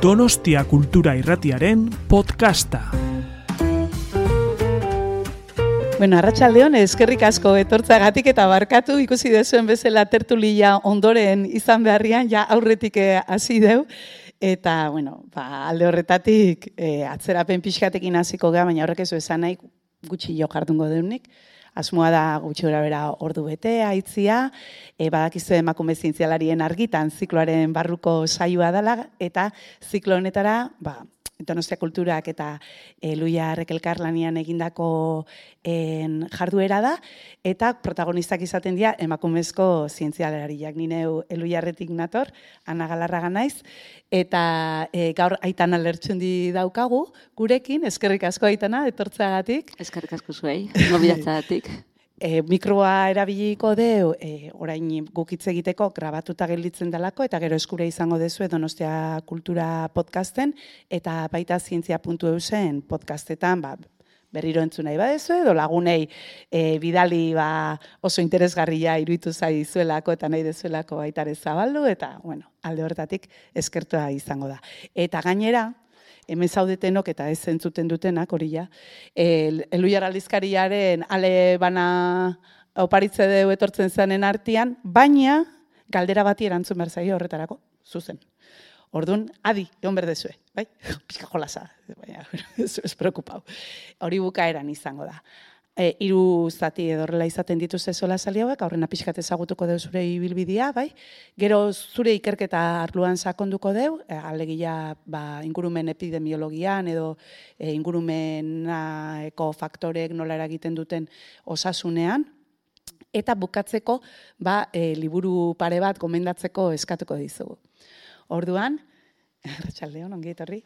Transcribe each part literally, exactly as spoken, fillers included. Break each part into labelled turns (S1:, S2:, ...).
S1: Donostia Kultura Irratiaren podcasta.
S2: Bueno, arratsaldeon, eskerrik asko etortzagatik eta barkatu ikusi dezuen bezala tertulia ondoren izan beharrian, ja aurretik hasi deu. Eta, bueno, ba, alde horretatik e, atzerapen pixkatekin hasiko gea, baina horrek ez esan nahi gutxi jo jardungo deunik. Asmoa da gutxi gora bera ordu bete, aitzia, e, badakizu emakume zientzialarien argitan zikloaren barruko saioa dela, eta ziklo honetara, ba, Donostia Kulturak eta e, Luia Rekelkarlanian egindako en, jarduera da, eta protagonistak izaten dira emakumezko zientzialariak. Ni neu Luiarretik nator, Ana Galarraga naiz, eta e, gaur Aitana Lertxundi daukagu gurekin, eskerrik asko Aitana, etortzeagatik.
S3: Eskerrik asko zuei, gobidatzagatik.
S2: E, mikroa erabiliko deu, e, orain guk hitz egiteko grabatuta gelditzen delako, eta gero eskure izango dezue Donostia Kultura podcasten, eta baita zientzia puntu eusen podcastetan, ba, berriro entzun nahi badezu, edo lagunei e, bidali ba, oso interesgarria iruditu zaizuelako eta nahi dezuelako baitare zabaldu, eta bueno, alde horretatik eskertua izango da. Eta gainera, hemen zaudetenok eta ez entzuten dutenak, hori ja, Luiar aldizkariaren ale bana oparitze deu etortzen zanen artean, baina galdera bati erantzun behar zaio horretarako, zuzen. Orduan, adi, egon berdezue, bai? Pizka jolasa, baina ez, ez preokupau. Hori bukaeran izango da. E, hiru zati edo horrela izaten dituzte sola sali hauek, aurrena pixkat ezagutuko deu zure ibilbidea, bai? Gero zure ikerketa arloan sakonduko deu, e, alegia ba, ingurumen epidemiologian edo e, ingurumeneko faktorek nola eragiten duten osasunean, eta bukatzeko ba, e, liburu pare bat gomendatzeko eskatuko dizugu. Orduan, arratsaldeon, ongi etorri.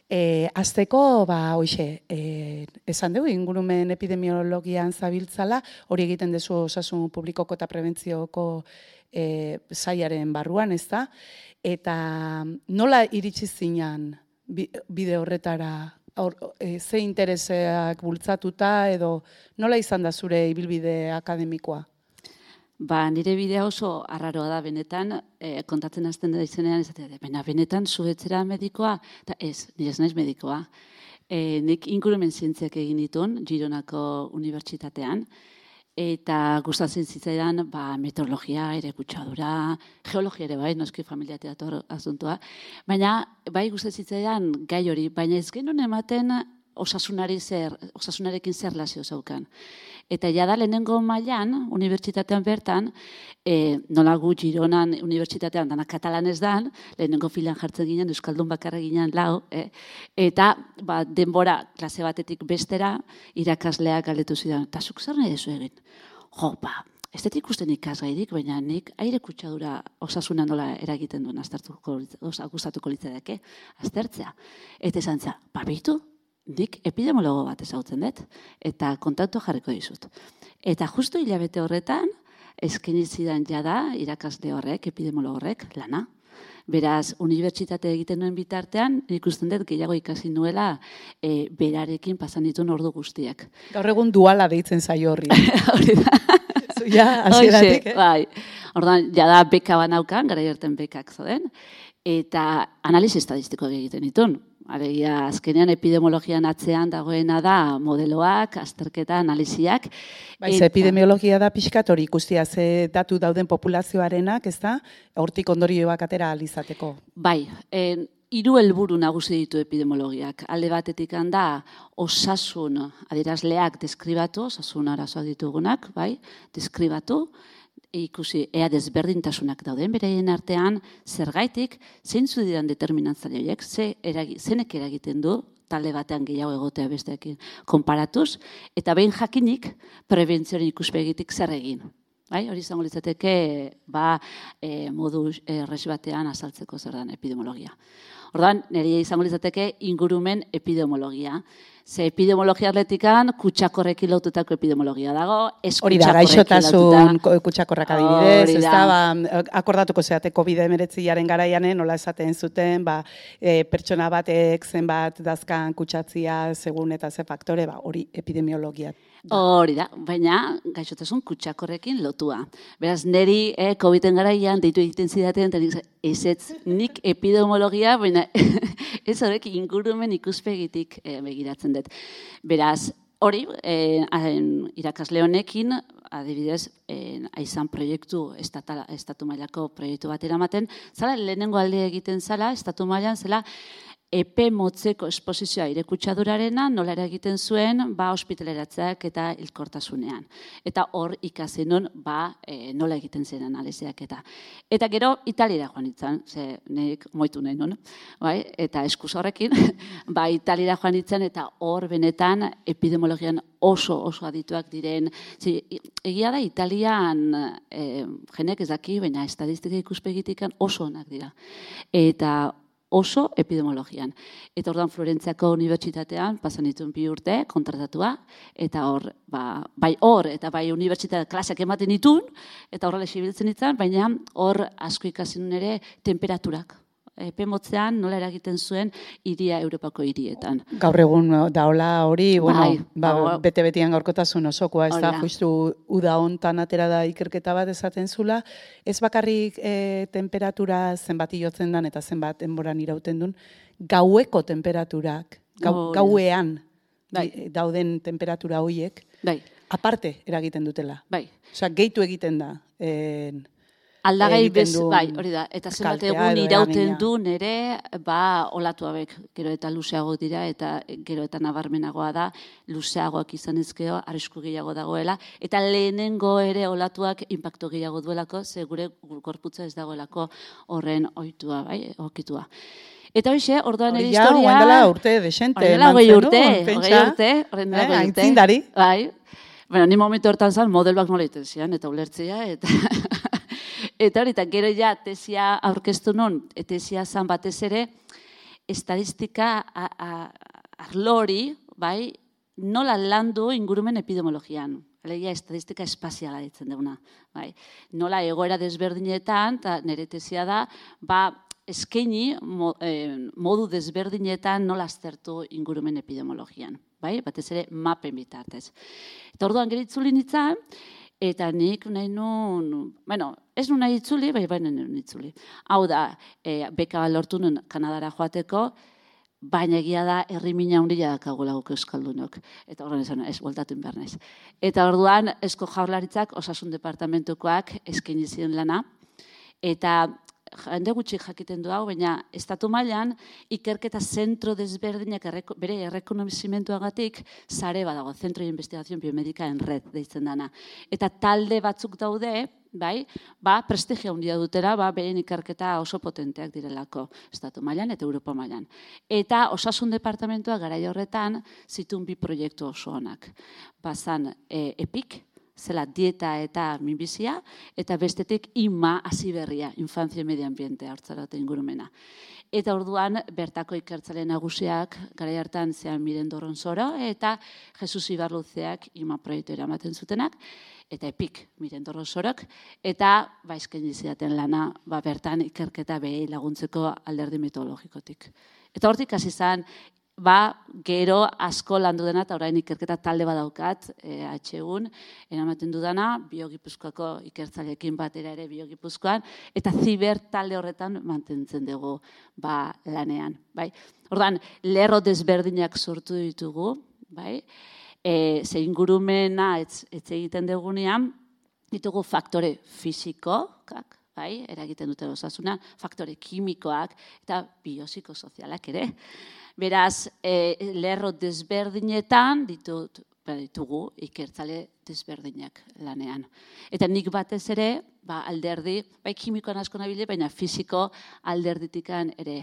S2: E, azteko, ba, hoxe, e, esan dugu, ingurumen epidemiologian zabiltzala, hori egiten dezu osasun publikoko eta prebentzioko e, saiaren barruan, ez da? Eta nola iritsi zinan bide horretara, or, e, ze intereseak bultzatuta, edo nola izan da zure ibilbide akademikoa?
S3: Ba, nire bidea oso arraroa da benetan, e, kontatzen hasten da izenean, ezatea, baina benetan zuetzera medikoa, eta ez, nire ez naiz medikoa. E, nik ingurumen zientziak egin ditun, Gironako unibertsitatean, eta gustatzen zitzaidan ba, meteorologia, ere kutsadura, geologia ere bai, noski familia teator asuntua, baina bai gustatzen zitzaidan gai hori, baina ez genuen ematen osasunari zer, osasunarekin zer lazio zaukan. Eta jada lehenengo mailan, unibertsitatean bertan, e, nola gu Gironan unibertsitatean dana katalanez dan, lehenengo filan jartzen ginen, euskaldun bakarra ginen lau, eh? Eta ba, denbora klase batetik bestera irakasleak galdetu zidan, eta zuk zer nahi dezu egin? Jo, ba, ez dut ikusten ikasgairik, baina nik aire kutsadura osasuna nola eragiten duen aztertuko, gustatuko litzateke, aztertzea. Eta esan za, barbitu? Nik epidemiologo bat ezautzen dut, eta kontaktu jarriko dizut. Eta justu hilabete horretan, eskaini zidan jada irakasle horrek, epidemiologo horrek, lana. Beraz, unibertsitate egiten nuen bitartean, ikusten dut gehiago ikasi nuela e, berarekin pasan dituen ordu guztiak.
S2: Gaur egun duala deitzen zaio horri.
S3: Hori da.
S2: Ja, hasieratik, eh?
S3: Bai. Orduan, jada beka banaukan, gara jerten bekak zoden, eta analizi estadistiko egiten ditun. Alegia, azkenean epidemiologian atzean dagoena da modeloak, azterketa, analiziak.
S2: Baiz, epidemiologia da pixkat hori ikustia ze datu dauden populazioarenak, ez da? Hortik ondorioak atera alizateko.
S3: Bai, en, hiru helburu nagusi ditu epidemiologiak. Alde batetik handa osasun adierazleak deskribatu, osasun arazoak ditugunak, bai, deskribatu, ikusi ea desberdintasunak dauden beraien artean, zergaitik, zeintzu diran determinantzaile horiek, ze eragi, zenek eragiten du, talde batean gehiago egotea besteekin konparatuz, eta behin jakinik, prebentzioaren ikuspegitik zer egin. Bai, hori izango litzateke ba, e, modu erres batean azaltzeko zer den epidemiologia. Orduan, nire izango litzateke ingurumen epidemiologia. Ze epidemiologia atletikan kutsakorrekin lotutako epidemiologia dago, ez
S2: hori da, gaixotasun kutsakorrak adibidez, ez da, ba, akordatuko zeate covid hemeretziaren garaianen, nola esaten zuten, ba, e, pertsona batek zenbat dazkan kutsatzia segun eta ze faktore, ba, hori epidemiologia
S3: Hori da, baina gaixotasun kutsakorrekin lotua. Beraz, niri eh, COVID-en garaian deitu egiten zidaten, eta nik ez ez nik epidemiologia, baina ez horrek ingurumen ikuspegitik eh, begiratzen dut. Beraz, hori, eh, irakasle honekin, adibidez, eh, aizan proiektu, estata, estatu mailako proiektu bat eramaten, zala lehenengo alde egiten zala, estatu mailan, zela, epe motzeko esposizioa irekutsadurarena nola eragiten zuen ba ospitaleratzeak eta hilkortasunean. Eta hor ikasi nun ba e, nola egiten zen analiziak eta. Eta gero Italiara joan nintzen, ze nik moitu nahi nun, bai? Eta eskuz horrekin, ba Italiara joan nintzen eta hor benetan epidemiologian oso oso adituak diren. Zi, egia da Italian e, jenek ez daki, baina estadistika ikuspegitik oso onak dira. Eta oso epidemiologian. Eta orduan Florentziako unibertsitatean pasan dituen bi urte kontratatua, eta hor, ba, bai hor, eta bai unibertsitate klaseak ematen ditun, eta horrela esibiltzen ditzen, baina hor asko ikasi nun ere temperaturak. Epe motzean nola eragiten zuen hiria Europako hirietan.
S2: Gaur egun daola hori, bueno,
S3: bai,
S2: ba, bete-betian gaurkotasun osokoa, ez da, justu uda hontan atera da ikerketa bat esaten zula, ez bakarrik e, temperatura zenbat iotzen dan eta zenbat denboran irauten duen, gaueko temperaturak, gau, oh, gauean bai. dauden temperatura horiek, bai. aparte eragiten dutela.
S3: Bai.
S2: Osea, gehitu egiten da. E,
S3: Aldagai bez, bai, hori da, eta zenbat egun irauten du nere, ba, olatu hauek, gero eta luzeago dira, eta gero eta nabarmenagoa da, luzeagoak izan ezkeo, arrisku gehiago dagoela, eta lehenengo ere olatuak inpaktu gehiago duelako, ze gure gorputza ez dagoelako horren ohitua, bai, okitua. Eta hoxe, orduan ere historia...
S2: Hori ja, oindela urte, desente.
S3: Oindela hogei urte, hogei urte, oindela hogei urte.
S2: Aintzindari.
S3: Bai, bueno, ni momentu hortan zan, modeloak nola iten zian, eta ulertzea, eta... Eta hori, eta gero ja, tesia aurkeztu nun, tesia zan batez ere, estadistika arlori, bai, nola landu ingurumen epidemiologian. Alegia, estadistika espaziala ditzen duguna. Bai. Nola egoera desberdinetan, eta nire tesia da, ba, eskaini modu desberdinetan nola aztertu ingurumen epidemiologian. Bai, batez ere, mapen bitartez. Eta orduan geritzuli nintzen, eta nik nahi nun, bueno, ez nun nahi itzuli, bai baina nun itzuli. Hau da, e, beka lortu nun Kanadara joateko, baina egia da herrimina handia dakagula guk euskaldunok. Eta horren esan, ez, voltatu behar naiz. Eta orduan, Eusko Jaurlaritzak, osasun departamentukoak eskaini ziren lana, eta jende gutxi jakiten du hau, baina estatu mailan ikerketa zentro desberdinak erreko, bere errekonozimentuagatik sare badago, Centro de Investigación Biomedica en Red deitzen dana. Eta talde batzuk daude, bai, ba, prestigio handia dutera, ba, beren ikerketa oso potenteak direlako estatu mailan eta Europa mailan. Eta osasun departamentua garai horretan zituen bi proiektu oso onak. Bazan e, EPIC, zela dieta eta minbizia, eta bestetik ima hasiberria, infantzia medioambientea, hartzarate ingurumena. Eta orduan, bertako ikertzale nagusiak, garai hartan zean Miren Dorronsoro, eta Jesus Ibarluzeak ima proiektu eramaten zutenak, eta EPIC, Miren Dorronsorok, eta baizken izidaten lana, ba, bertan ikerketa behi laguntzeko alderdi metodologikotik. Eta hortik hasi izan, ba, gero asko landu dena, eta orain ikerketa talde badaukat, e, atxegun, eramaten dudana, Biogipuzkoako ikertzaleekin batera ere Biogipuzkoan, eta ziber talde horretan mantentzen dugu ba, lanean. Bai? Ordan, lerro desberdinak sortu ditugu, bai? E, ze ingurumena ez, ez egiten dugunean, ditugu faktore fizikoak, bai? Eragiten dute osasuna, faktore kimikoak, eta biopsikosozialak ere. Beraz, e, lerro desberdinetan ditut, ditugu ikertzale desberdinak lanean. Eta nik batez ere, ba, alderdi, bai kimikoan asko nabile, baina fisiko alderditikan ere.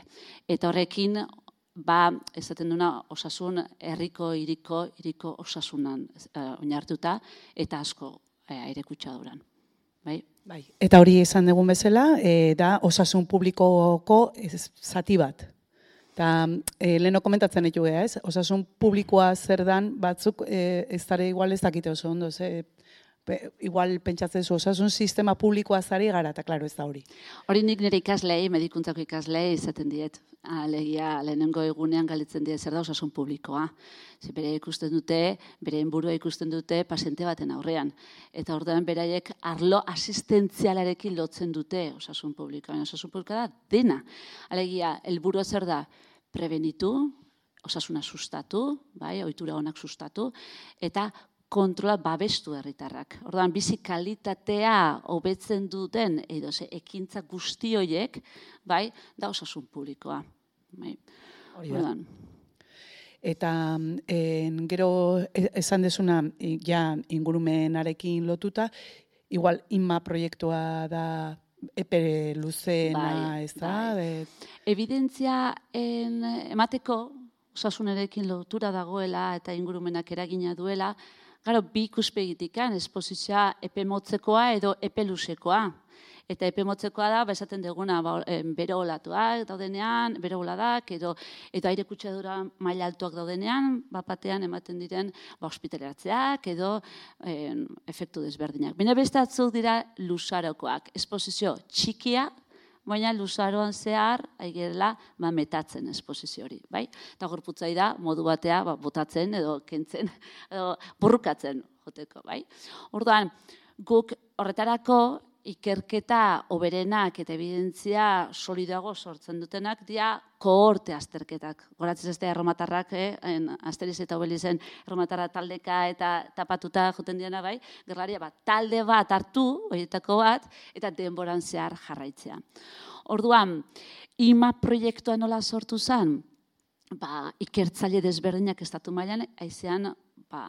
S3: Eta horrekin, ba, esaten duna osasun herriko, hiriko, hiriko osasunan uh, oinartuta, eta asko uh, airekutsaduran. Bai?
S2: Bai. Eta hori esan dugun bezala, e, da osasun publikoko zati bat. Eta e, leheno komentatzen ditu geha, ez? Osasun publikoa zer dan batzuk e, ez dara igual ez dakite oso ondo, ze igual pentsatzen zu, osasun sistema publikoa zari gara, eta klaro ez da hori.
S3: Hori nik nire ikaslei, medikuntzako ikaslei izaten diet. Alegia, lehenengo egunean galitzen die zer da osasun publikoa. Ze bere ikusten dute, bere burua ikusten dute paziente baten aurrean. Eta orduan beraiek arlo asistentzialarekin lotzen dute osasun publikoa. Osasun publikoa da dena. Alegia, helburua zer da prebenitu, osasuna sustatu, bai, ohitura onak sustatu, eta kontrola babestu herritarrak. Orduan, bizi kalitatea hobetzen duten edo ze ekintza guzti horiek, bai, da osasun publikoa. Bai. Orduan.
S2: Eta en, gero esan desuna ja ingurumenarekin lotuta, igual inma proiektua da epe luzeena,
S3: bai,
S2: ez da?
S3: Bai. Evidentzia en, emateko osasunarekin lotura dagoela eta ingurumenak eragina duela, gero, bi ikuspegitikan, esposizioa epe motzekoa edo epe luzekoa. Eta epe motzekoa da, ba, esaten duguna, ba, bero olatuak daudenean, bero oladak, edo, edo aire kutsadura maila altuak daudenean, bapatean ematen diren ba, ospitaleratzeak, edo en, efektu desberdinak. Baina beste atzuk dira luzarokoak. Esposizio txikia, baina luzaroan zehar, aigerela, ba, metatzen esposizio hori, bai? Eta gorputzai da, modu batea, ba, botatzen edo kentzen, edo burrukatzen joteko, bai? Orduan, guk horretarako ikerketa oberenak eta evidentzia solidago sortzen dutenak dira kohorte azterketak. Goratzen ez da erromatarrak, eh? Asteriz eta Obelizen erromatarra taldeka eta tapatuta joten diana, bai? Gerlaria bat, talde bat hartu, horietako bat, eta denboran zehar jarraitzea. Orduan, ima proiektua nola sortu zen? Ba, ikertzaile desberdinak estatu mailan, haizean, ba,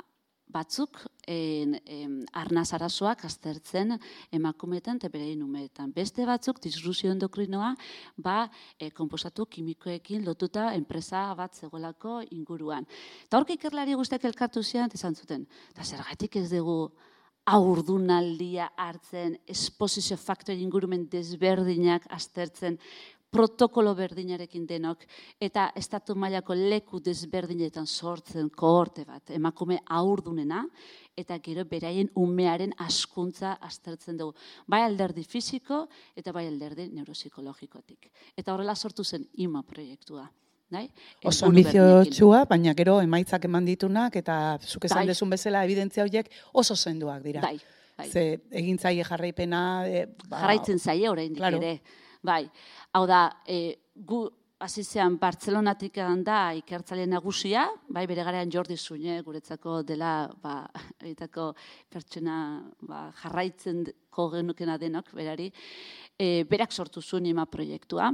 S3: batzuk en, en, arnaz arazoak aztertzen emakumeetan eta berein umeetan. Beste batzuk disrupzio endokrinoa ba, e, konposatu kimikoekin lotuta enpresa bat zegoelako inguruan. Eta horke ikerlari guztiak elkartu zian, izan zuten. Eta zergatik ez dugu haurdunaldia hartzen, esposizio faktore ingurumen desberdinak aztertzen, protokolo berdinarekin denok, eta estatu mailako leku desberdinetan sortzen kohorte bat, emakume haurdunena, eta gero beraien umearen askuntza aztertzen dugu. Bai alderdi fisiko eta bai alderdi neuropsikologikotik. Eta horrela sortu zen ima proiektua. Dai?
S2: Oso ambiziotsua, baina gero emaitzak eman ditunak, eta zuk esan
S3: bai.
S2: dezun bezala evidentzia horiek oso zenduak dira.
S3: Bai, bai.
S2: Ze egin zaie jarraipena... E, ba,
S3: jarraitzen zaie oraindik
S2: claro.
S3: ere. Bai, hau da, e, gu hasizean Bartzelonatik da ikertzaile nagusia, bai, bere garean Jordi Zune guretzako dela, ba, egitako pertsona ba, jarraitzen genukena denok, berari, e, berak sortu zuen ima proiektua,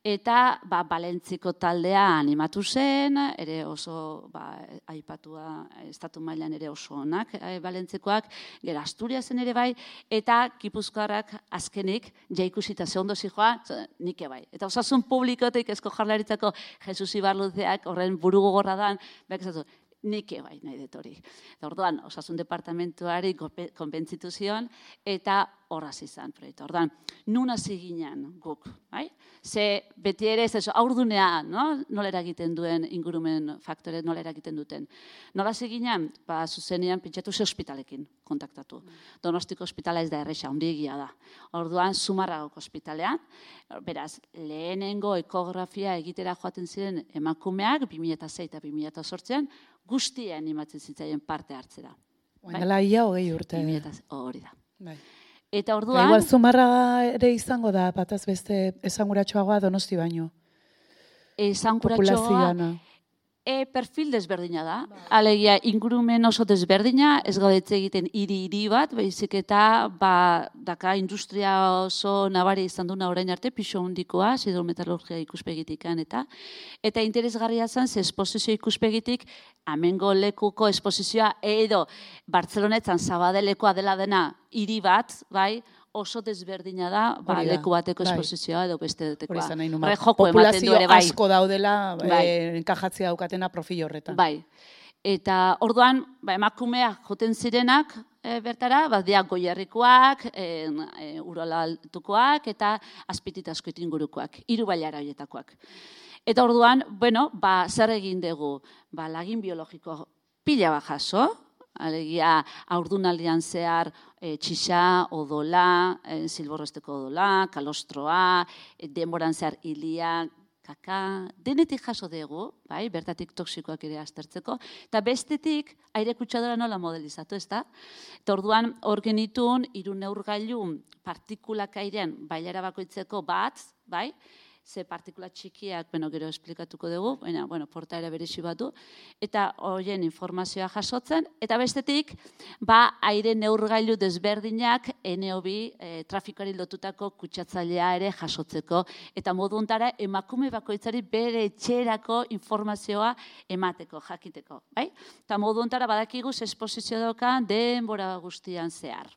S3: eta ba, Balentziko taldea animatu zen, ere oso ba, aipatua estatu mailan ere oso onak, e, Balentzikoak, gero Asturiasen ere bai, eta Gipuzkoarrak azkenik, jaikusita ze ondo zijoa, nike bai. Eta osasun publikotik Eusko Jaurlaritzako Jesus Ibarluzeak horren buru gogorra dan, beak esatu, nike bai nahi dut hori. Eta orduan, osasun departamentuari konbentzitu zion, eta horraz izan proiektu. Orduan, nun hasi ginen guk, bai? Ze beti ere, ez haurdunea, no? Nola eragiten duen ingurumen faktore, nola eragiten duten. Nola hasi ginen, ba, zuzenean pentsatu ze ospitalekin kontaktatu. Donostiko ospitala ez da erresa, ondiegia da. Orduan, Zumarragoko ospitalean, beraz, lehenengo ekografia egitera joaten ziren emakumeak, bi mila sei eta bi mila zortzian, guztia animatzen zitzaien parte hartzera.
S2: Oindela ia hogei urte.
S3: Hori da.
S2: Bai.
S3: Eta orduan...
S2: Igual Zumarraga ere izango da, bataz beste esanguratxoagoa Donosti baino.
S3: Esanguratxoa... E, perfil desberdina da. Alegia, ingurumen oso desberdina, ez gaudetze egiten hiri-hiri bat, baizik eta ba, daka industria oso nabari izan duna orain arte, pixo hondikoa, hidrometalurgia ikuspegitikan eta eta interesgarria zen, ze esposizio ikuspegitik, amengo lekuko esposizioa, edo Bartzelonetan Zabadelekoa dela dena hiri bat, bai, oso desberdina da, ba, leku bateko esposizioa edo beste detekoa.
S2: Populazio asko daudela, enkajatzea daukatena profil horretan.
S3: Bai. Eta orduan, ba, emakumeak joten zirenak bertara, bat diak Goierrikoak, Urola Altukoak eta Azpititaskoit ingurukoak, hiru bailara horietakoak. Eta orduan, bueno, ba, zer egin dugu? Ba, lagin biologiko pila bat jaso, Alegia, haurdunaldian zehar e, txixa, odola, e, zilborrosteko odola, kalostroa, e, denboran zehar hilia, kaka, denetik jaso dugu, bai, bertatik toksikoak ere aztertzeko, eta bestetik aire kutsadura nola modelizatu, ez da? Eta orduan hor genitun, hiru neurgailu partikulak airean bailara bakoitzeko bat, bai, ze partikula txikiak, bueno, gero esplikatuko dugu, baina, bueno, portaera berezi batu, eta horien informazioa jasotzen, eta bestetik, ba, aire neurgailu desberdinak N O bi e, trafikari lotutako kutsatzailea ere jasotzeko, eta modu hontara emakume bakoitzari bere etxerako informazioa emateko, jakiteko, bai? Eta modu hontara badakigu esposizio daukan denbora guztian zehar.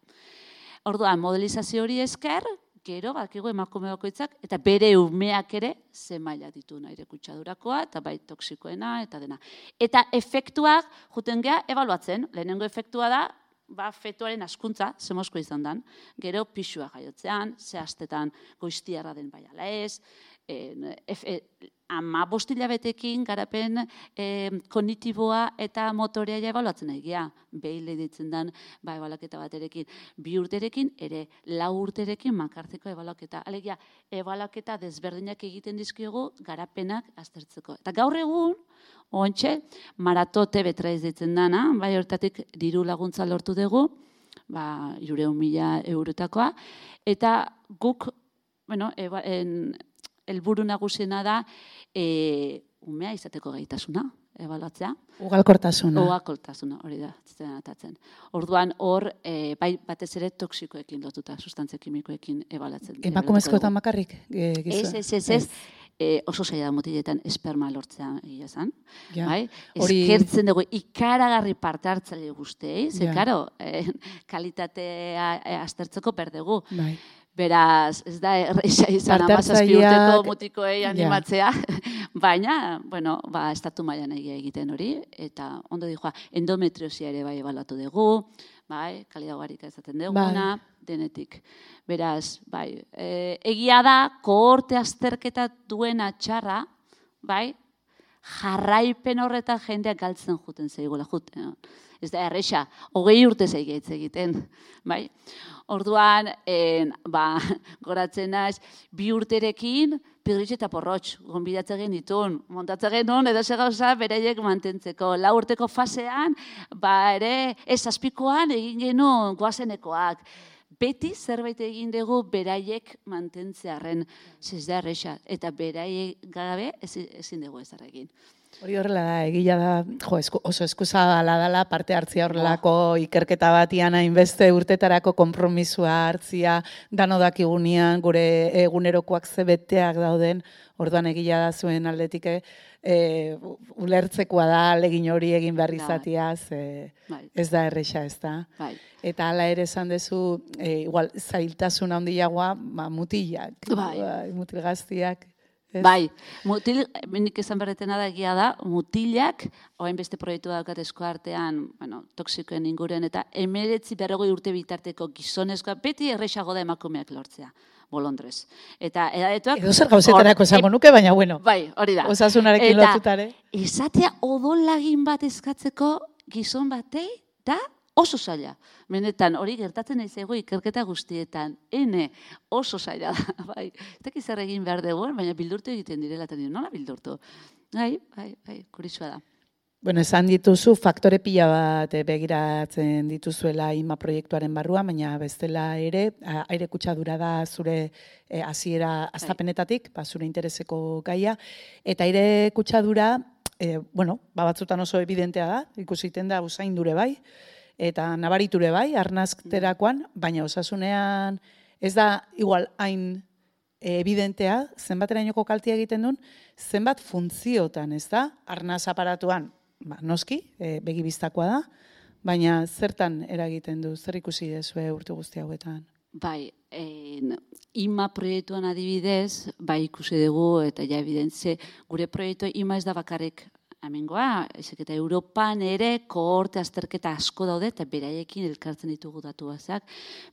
S3: Orduan, modelizazio hori esker, gero, badakigu emakume bakoitzak, eta bere umeak ere ze maila ditu aire kutsadurakoa, eta bai toksikoena, eta dena. Eta efektuak, juten geha, ebaluatzen, lehenengo efektua da, ba, fetuaren askuntza, zemosko izan dan, gero pixua jaiotzean, ze astetan goiztiarra den bai ala ez, e, e, ama bostila betekin garapen e, kognitiboa eta motorea ja ebaluatzen egia, behile ditzen dan ba, ebalaketa baterekin, bi urterekin, ere lau urterekin makartzeko ebalaketa. Alegia, ebalaketa desberdinak egiten dizkiogu garapenak aztertzeko. Eta gaur egun, ontxe, maratote betraiz ditzen dana, bai hortatik diru laguntza lortu dugu, ba, irureun mila eurotakoa, eta guk, bueno, eba, en, helburu nagusiena da e, umea izateko gaitasuna, ebaluatzea.
S2: Ugalkortasuna.
S3: Ugalkortasuna, hori da, zitzen atatzen. Orduan hor, e, bai batez ere toksikoekin lotuta, sustantzia kimikoekin ebaluatzen.
S2: Emakumezkoetan bakarrik? E,
S3: ez, ez, ez, ez. E, oso zaila da mutiletan esperma lortzea egia zan.
S2: Ja.
S3: Bai?
S2: Hori...
S3: Eskertzen dugu ikaragarri parte hartzaile guztei, ze
S2: ja.
S3: karo, e, kalitatea e, aztertzeko berdegu.
S2: Bai.
S3: Beraz, ez da erreixa izan amazazpi urteko mutikoei animatzea, ja. Baina, bueno, ba, estatu mailan egia egiten hori, eta ondo dijoa, endometriosia ere bai ebaluatu dugu, bai, kalidagarrika ezaten duguna, bai. Denetik. Beraz, bai, e, egia da, kohorte azterketa duena txarra, bai, jarraipen horretan jendeak galtzen juten zeigula, juten. Ez da erreixa, hogei urte zeigetz egiten, bai. Orduan, en, ba, goratzen naiz, bi urterekin, pirritx eta porrotx, gonbidatzen genitun, montatzen genuen, edo ze gauza beraiek mantentzeko. Lau urteko fasean, ba ere, ez azpikoan egin genuen goazenekoak. Beti zerbait egin dugu beraiek mantentzearen, ez da erreixa, eta beraiek gabe ezin dugu ez egin.
S2: Hori horrela da, egila da, jo, esku, oso eskuzabala dela, parte hartzia horrelako ikerketa batian hainbeste urtetarako konpromisua hartzia, dano dakigunean, gure egunerokoak zebeteak dauden, orduan egila da zuen aldetik, e, ulertzekoa da, legin hori egin behar izatiaz, e, ez da erreixa, ez da. Bai. Eta hala ere esan dezu, e, igual, zailtasun handiagoa, ba, mutilak, bai. Ba, mutil gaztiak. Ez? Bai,
S3: mutil, nik esan berretena da egia da, mutilak, oain beste proiektu daukat esko artean, bueno, toksikoen inguren, eta emeretzi berrogei urte bitarteko gizonezkoa, beti errexago da emakumeak lortzea, bolondrez. Eta edadetuak...
S2: Edo zer gauzetarako esango nuke, baina bueno.
S3: Bai, hori da.
S2: Osasunarekin lotutare.
S3: Eta esatea odolagin bat eskatzeko gizon batei, da oso zaila. Benetan, hori gertatzen nahi zego ikerketa guztietan. Ene, oso zaila da. Bai, ez dakiz zer egin behar dugu, baina bildurtu egiten direla, eta nire, nola bildurtu? Bai, bai, bai, kurisua da.
S2: Bueno, esan dituzu, faktore pila bat begiratzen dituzuela I M A proiektuaren barruan, baina bestela ere, aire kutsadura da zure hasiera e, hastapenetatik, ba, zure intereseko gaia, eta aire kutsadura, e, bueno, ba, batzutan oso evidentea da, ikusiten da usaindure bai, eta nabariture bai, arnazterakoan, baina osasunean ez da igual hain evidentea, zenbaterainoko kaltea egiten duen, zenbat funtziotan, ez da, arnaz aparatuan, ba, noski, e, begibiztakoa da, baina zertan eragiten du, zer ikusi dezue urte guzti hauetan?
S3: Bai, en, I M A proiektuan adibidez, bai ikusi dugu, eta ja evidentze, gure proiektua I M A ez da bakarrik hemengoa, ezek eta Europan ere kohorte azterketa asko daude eta beraiekin elkartzen ditugu datuazak.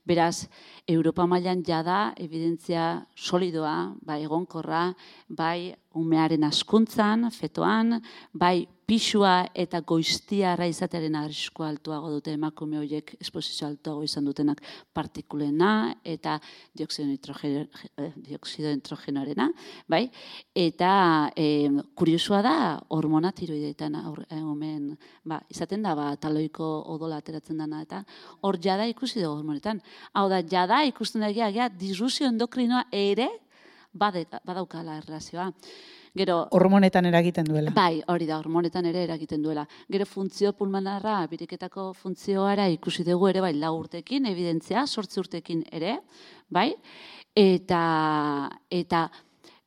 S3: Beraz, Europa mailan jada evidentzia solidoa, bai egonkorra, bai umearen askuntzan, fetoan, bai pixua eta goiztiarra izatearen arriskua altuago dute emakume horiek esposizio altuago izan dutenak partikulena eta dioxido nitrogeno, dioxido nitrogenoarena, bai? Eta e, kuriosua da hormona tiroideetan omen, ba, izaten da, ba, taloiko odola ateratzen dana, eta hor jada ikusi dugu hormonetan. Hau da, jada ikusten da egia, disrupzio endokrinoa ere badaukala erlazioa. Gero,
S2: hormonetan eragiten duela.
S3: Bai, hori da, hormonetan ere eragiten duela. Gero funtzio pulmonarra, biriketako funtzioara ikusi dugu ere, bai, lau urtekin, evidentzia, sortzi urtekin ere, bai, eta, eta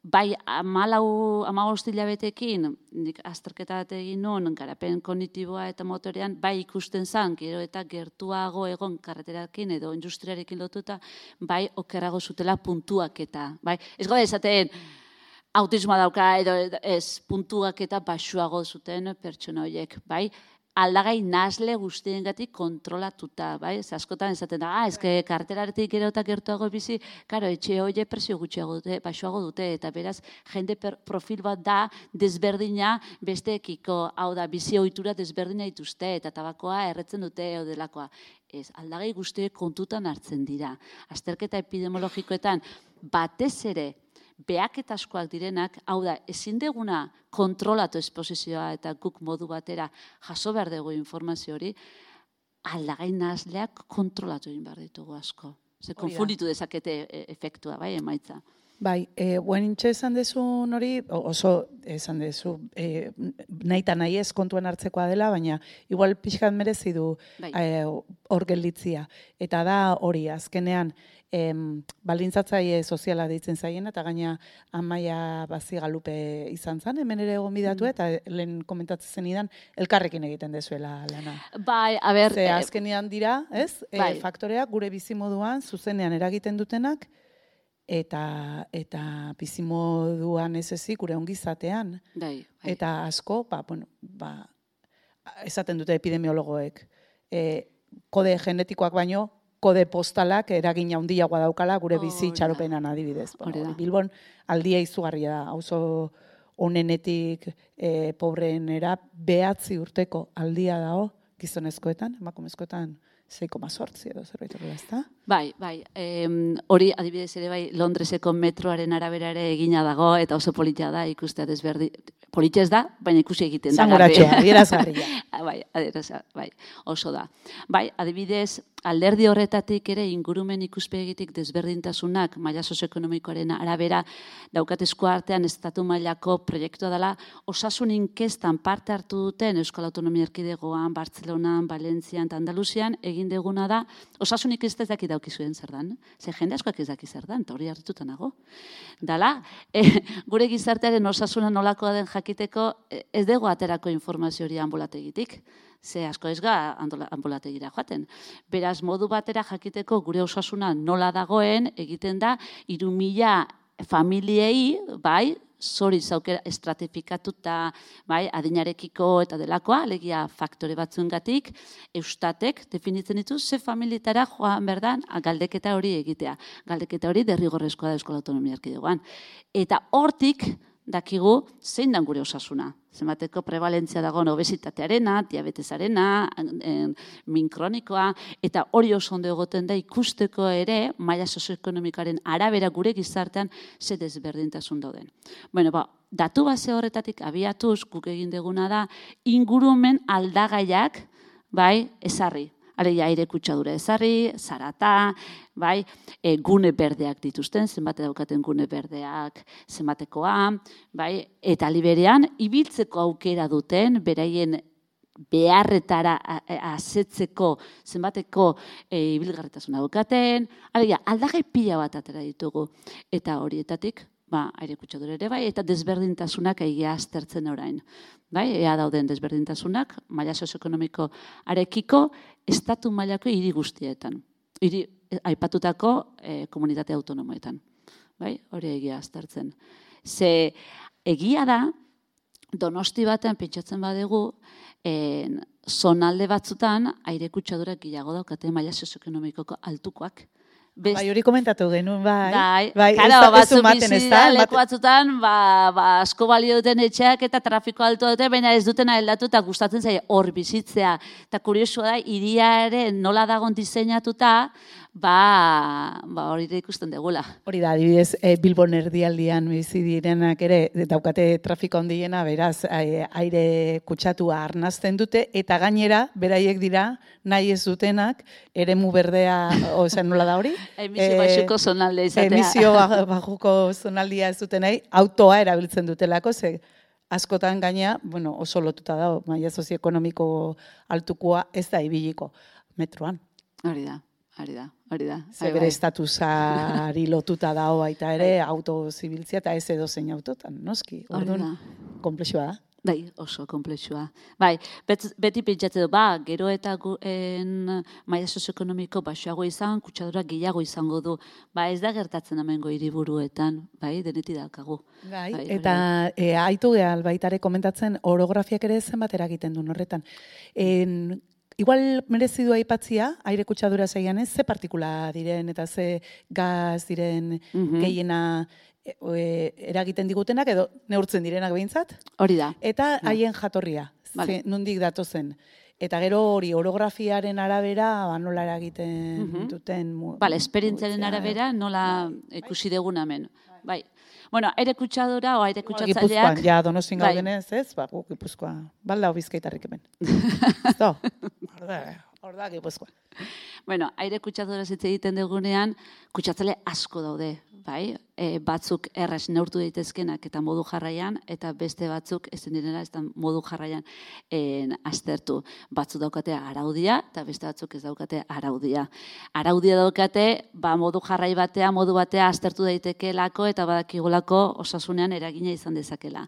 S3: bai, amalau, amabost hilabetekin, nik azterketa bat egin nuen, garapen kognitiboa eta motorean, bai ikusten zan, gero eta gertuago egon karreterakin edo industriarekin lotuta, bai, okerrago zutela puntuak eta, bai, ez gaude esaten, autismoa dauka edo ez puntuak eta baxuago zuten pertsona horiek, bai? Aldagai nazle guztiengatik kontrolatuta, bai? Ez askotan esaten da, ah, ezke karteraretik gero eta gertuago bizi, karo, etxe horiek presio gutxiago dute, baxuago dute, eta beraz, jende profil bat da desberdina besteekiko, hau da, bizi ohitura desberdina dituzte, eta tabakoa erretzen dute edo delakoa. Ez, aldagai guztiek kontutan hartzen dira. Azterketa epidemiologikoetan batez ere, behaketaskoak direnak, hau da, ezin deguna kontrolatu esposizioa eta guk modu batera jaso behar dugu informazio hori, aldagai nahasleak kontrolatu egin behar ditugu asko. Ze konfunditu dezakete efektua, bai, emaitza.
S2: Bai, e, guenintxe esan dezun hori, oso esan dezu, e, nahi eta nahi ez kontuan hartzekoa dela, baina igual pixkat merezi du
S3: bai.
S2: e, hor gelditzia. Eta da hori, azkenean, em, baldintzatzaile soziala deitzen zaien, eta gaina Amaia Bazigalupe izan zen, hemen ere egon bidatu, eta lehen komentatzen zenidan, elkarrekin egiten dezuela lana.
S3: Bai, a ber...
S2: Ze azkenean dira, ez?
S3: Bai.
S2: E, faktoreak gure bizimoduan, zuzenean eragiten dutenak, eta eta bizimoduan ez ezik, gure ongizatean.
S3: Bai, bai.
S2: Eta asko, ba, bueno, ba, esaten dute epidemiologoek, e, kode genetikoak baino, kode postalak eragina handiagoa daukala gure bizi itxaropenan adibidez. Bueno, Bilbon aldia izugarria da, auzo onenetik e, pobreenera behatzi urteko aldia dago gizonezkoetan, emakumezkoetan sei koma zortzi edo zerbait horrela, ezta?
S3: Bai, bai. Hori adibidez ere bai Londreseko metroaren arabera ere egina dago eta oso politia da ikustea desberdi. Politia ez da, baina ikusi egiten da.
S2: Zangoratxoa, adierazgarria.
S3: Bai, adierazgarria, bai, oso da. Bai, adibidez, alderdi horretatik ere ingurumen ikuspegitik desberdintasunak maila sozioekonomikoaren arabera daukatezko artean estatu mailako proiektua dela osasun inkestan parte hartu duten Euskal Autonomia Erkidegoan, Bartzelonan, Valentzian eta Andaluzian egin deguna da osasun inkesta ez daki daukizuen zer dan. Ze jende askoak ez daki zer dan, eta hori hartuta nago. Dala, e, gure gizartearen osasuna nolakoa den jakiteko ez dugu aterako informazio hori ambulategitik. Ze asko ez ga ambulategira joaten. Beraz, modu batera jakiteko gure osasuna nola dagoen egiten da, hiru mila familiei, bai, zoriz aukera estratifikatuta, bai, adinarekiko eta delakoa, alegia faktore batzuengatik, Eustatek definitzen ditu ze familietara joan berdan galdeketa hori egitea. Galdeketa hori derrigorrezkoa da Euskal Autonomia Erkidegoan. Eta hortik dakigu zein dan gure osasuna. Zenbateko prevalentzia dagoen obesitatearena, diabetesarena, min kronikoa, eta hori oso ondo egoten da ikusteko ere, maila sozioekonomikoaren arabera gure gizartean ze desberdintasun dauden. Bueno, ba, datu base horretatik abiatuz, guk egin deguna da, ingurumen aldagaiak, bai, ezarri. Alegia aire kutsadura ezarri, zarata, bai, e, gune berdeak dituzten, zenbate daukaten gune berdeak, zenbatekoa, bai, eta liberean, ibiltzeko aukera duten, beraien beharretara asetzeko zenbateko e, ibilgarritasuna daukaten, alegia, aldagai pila bat atera ditugu, eta horietatik, ba, aire kutsadura ere bai, eta desberdintasunak egia aztertzen orain. Bai, ea dauden desberdintasunak, maila sozioekonomiko arekiko, estatu mailako hiri guztietan. Hiri aipatutako e, komunitate autonomoetan. Bai, hori egia aztertzen. Ze egia da, Donosti batean pentsatzen badegu, en, zonalde batzutan aire kutsadurak gehiago daukate maila sozioekonomikoko altukoak. Best...
S2: Bai, hori komentatu genuen, bai.
S3: Bai,
S2: bai
S3: karo,
S2: ez da,
S3: batzuk
S2: maten,
S3: bizi da, leku batzutan, ba, ba, asko balio duten etxeak eta trafiko alto dute, baina ez dutena heldatu eta gustatzen zaie hor bizitzea. Eta kuriosua da, hiriaren nola dagon diseinatuta, ba, ba hori da ikusten degula.
S2: Hori da, adibidez, e, Bilbon erdialdian bizi direnak ere, daukate trafiko handiena, beraz, aire kutsatua arnazten dute, eta gainera, beraiek dira, nahi ez dutenak, eremu berdea, oza, nola da hori?
S3: Emisio baxuko zonaldea izatea.
S2: Emisio bajuko zonaldia ez duten nahi, autoa erabiltzen dutelako, ze askotan gaina, bueno, oso lotuta dago, maila sozioekonomiko altukoa ez da ibiliko metroan.
S3: Hori da. Hori da, hori da.
S2: Ze bere estatusari lotuta dago baita ere, auto zibiltzia eta ez edo zein autotan, noski. Orduan, komplexua da.
S3: Bai, oso komplexua. Bai, bet, beti pentsatze du, ba, gero eta en maila sozioekonomiko baxuago izan, kutsadura gehiago izango du. Ba, ez da gertatzen hemengo hiriburuetan, bai, deneti daukagu.
S2: Bai, bai eta e, aitu gehal baitare komentatzen, orografiak ere zenbat eragiten duen horretan. En, Igual merezi du aipatzia, aire kutsadura zaian ez, ze partikula diren eta ze gaz diren mm-hmm. gehiena e, e, eragiten digutenak edo neurtzen direnak behintzat.
S3: Hori da.
S2: Eta haien jatorria, vale. Ze, nondik datozen. Eta gero hori orografiaren arabera ba, nola eragiten mm-hmm. duten.
S3: Bale, esperientziaren arabera nola bai. Ikusi dugun hemen. Bai. Bueno, aire kutsadura o aire kutsatzaileak...
S2: Gipuzkoan, ja, Donostin gaudenez, ez? Ba, gu, Gipuzkoa, balda Bizkaitarrik hemen. Zo, hor da Gipuzkoa.
S3: Bueno, aire kutsadura zitze egiten dugunean, kutsatzaile asko daude, bai? E, batzuk erraz neurtu daitezkenak eta modu jarraian, eta beste batzuk ezin direla ez da modu jarraian en, aztertu. Batzuk daukate araudia, eta beste batzuk ez daukate araudia. Araudia daukate, ba, modu jarrai batea, modu batea aztertu daitekelako, eta badakigulako osasunean eragina izan dezakela.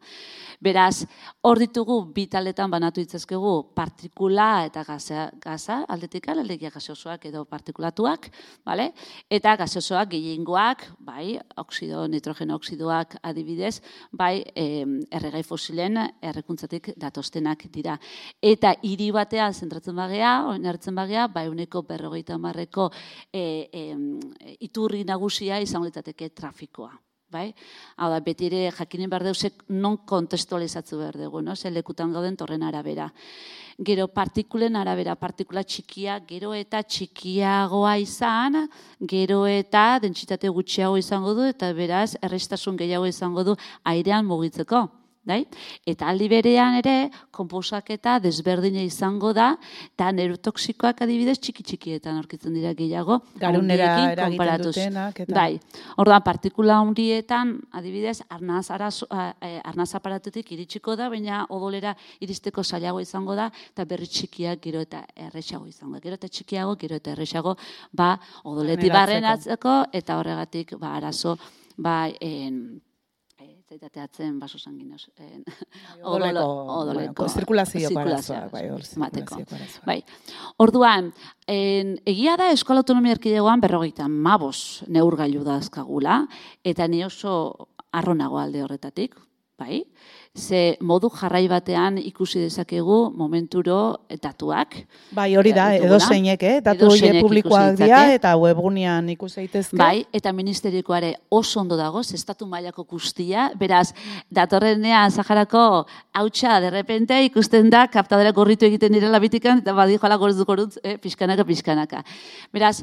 S3: Beraz, hor ditugu bi taletan banatu ditzazkegu partikula eta gaza, gaza aldetik alegia gaseosoak edo partikulatuak, vale? Eta gaseosoak gehiengoak, bai, oksido, nitrogeno oksidoak adibidez, bai, eh, erregai fosilen errekuntzatik datoztenak dira. Eta hiri batean zentratzen bagea, oinarritzen bagea, bai, uneko berrogeita hamarreko eh, eh, iturri nagusia izango litzateke trafikoa. Bai? Hau da, beti ere jakinen behar deusek non kontestualizatzu behar dugu, no? Ze lekutan gauden torren arabera. Gero partikulen arabera, partikula txikia, gero eta txikiagoa izan, gero eta dentsitate gutxiago izango du, eta beraz, errestasun gehiago izango du airean mugitzeko. Dai? Eta aldi berean ere, konposaketa desberdina izango da, eta neurotoxikoak adibidez txiki-txikietan aurkitzen dira gehiago.
S2: Garunera eragiten dutenak. Eta...
S3: Dai. Orduan, partikula hundietan, adibidez, arnaz, arazo, arnaz aparatetik iritsiko da, baina odolera iristeko zailago izango da, eta berri txikiak gero eta erresago izango da. Gero eta txikiago, gero eta erresago, ba, odoleti barren atzeko, eta horregatik, ba, arazo, ba, en... zaitateatzen baso sanguinos.
S2: Odoleko, odoleko. Zirkulazioko arazoak.
S3: Bai. Orduan, en, egia da Eskola Autonomia Erkidegoan berrogeita hamabost neurgailu dazkagula, eta ni oso arronago alde horretatik, bai? Ze modu jarrai batean ikusi dezakegu momenturo datuak.
S2: Bai, hori da, edo zeinek, eh? Datu horiek publikoak dira eta webgunean ikus daitezke.
S3: Bai, eta ministerikoare oso ondo dago, estatu mailako guztia, beraz, datorrenean Saharako hautsa derrepente ikusten da, kaptadera gorritu egiten direla bitikan, eta badi joala goruz goruz, eh, pixkanaka, pixkanaka. Beraz,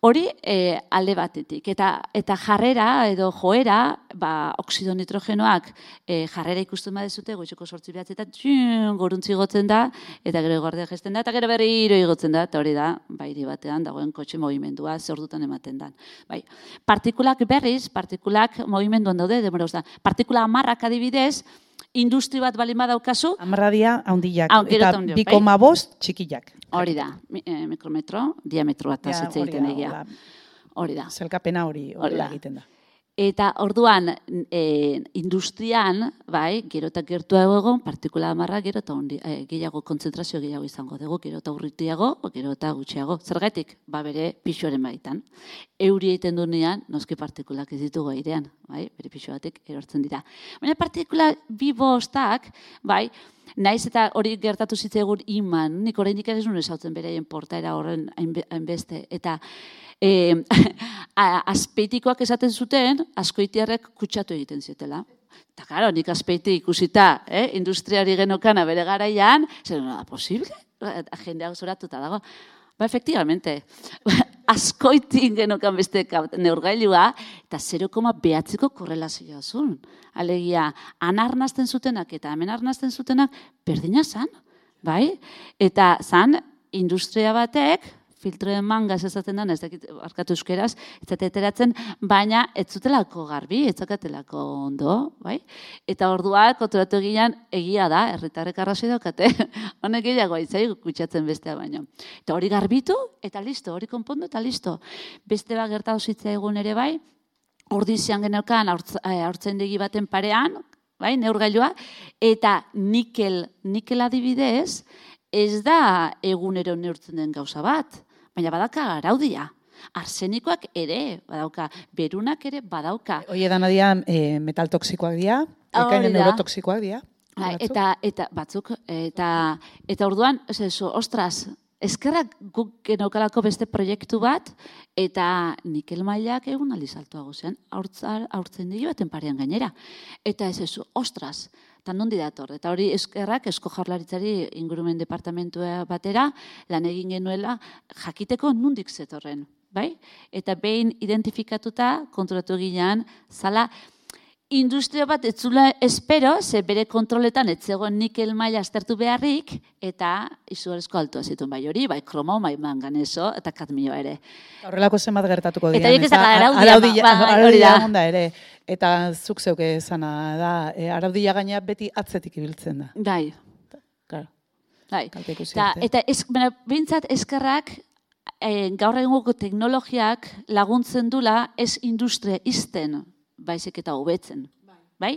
S3: hori e, alde batetik. Eta, eta jarrera edo joera, ba, oksido nitrogenoak e, jarrera ikusten badezute, goizeko sortzi behatzi eta txun, goruntzi gotzen da, eta gero guardia gesten da, eta gero berriro igotzen da, eta hori da, bairi batean dagoen kotxe movimendua zer dutan ematen dan. Bai. Partikulak berriz, partikulak movimenduan daude, demora da. Partikula hamarrak adibidez, industri bat balin badaukazu.
S2: Hamarradia handiak, eta bi koma bost txikiak.
S3: Hori da, mikrometro, diametro bat azitze egiten egia. Hori da.
S2: Zelkapena hori egiten da.
S3: Eta orduan, e, industrian, bai, gero eta gertuago egon, partikula hamarra, gero eta e, gehiago, kontzentrazio gehiago izango dugu, gero eta urritiago, gero eta gutxiago. Zergatik, ba bere pixuaren baitan. Euri egiten duenean, noski partikulak ez ditugu airean, bai, bere pixu batek erortzen dira. Baina partikula bi bostak, bai, naiz eta hori gertatu zitzaigun iman, nik oraindik ez nuen esautzen beraien portaera horren hainbeste, eta E, azpeitikoak esaten zuten, azkoitiarrek kutsatu egiten zutela. Eta, karo, nik azpeiti ikusita, eh, industriari genokana bere garaian, zer, no da posible? Jendeak zoratuta dago. Ba, efectivamente, azkoitin genokan beste neurgailua, eta zero koma behatziko korrelazioa zuen. Alegia, anarnazten zutenak eta hemen arnazten zutenak berdina zan, bai? Eta zan, industria batek, filtroen mangaz ezaten da, ez dakit arkatu euskeraz, ez zateteratzen, baina ez zutelako garbi, ez zakatelako ondo, bai? Eta ordua, konturatu egian, egia da, herritarrek arrazoi daukate, honek gehiago aitzai kutsatzen bestea baino. Eta hori garbitu, eta listo, hori konpondu, eta listo. Beste bat gertatu zitzaigun ere bai, ordizian geneukan haurtzaindegi baten parean, bai, neurgailua, eta nikel, nikel adibidez, ez da egunero neurtzen den gauza bat, baina badauka araudia. Arsenikoak ere badauka, berunak ere badauka.
S2: Oie dana dira e, metal toksikoak dira, ekainen neurotoksikoak dira.
S3: Eta, eta batzuk, eta, eta orduan, ez ez, ostras, eskerrak guk genaukalako beste proiektu bat, eta nikel mailak egun aldizaltuago zen, haurtzen digi baten parean gainera. Eta ez ez, ostras, eta nondi dator, eta hori eskerrak Eusko Jaurlaritzari ingurumen departamentua batera lan egin genuela jakiteko nondik zetorren, bai? Eta behin identifikatuta konturatu ginean, zala industria bat etzula espero, ze bere kontroletan etzegoen nikel maila aztertu beharrik, eta izugarrizko altua zituen bai hori, bai kromo, bai manganeso, eta kadmioa ere.
S2: Horrelako zenbat gertatuko dian.
S3: Eta ez da araudia,
S2: araudia onda ere. Eta zuk zeuke esana da, e, araudia gaina beti atzetik ibiltzen da.
S3: Bai.
S2: Claro.
S3: Bai. Ta, eta ez, behintzat eskerrak e, gaur egungo teknologiak laguntzen dula ez industria izten, baizik eta hobetzen. Bai?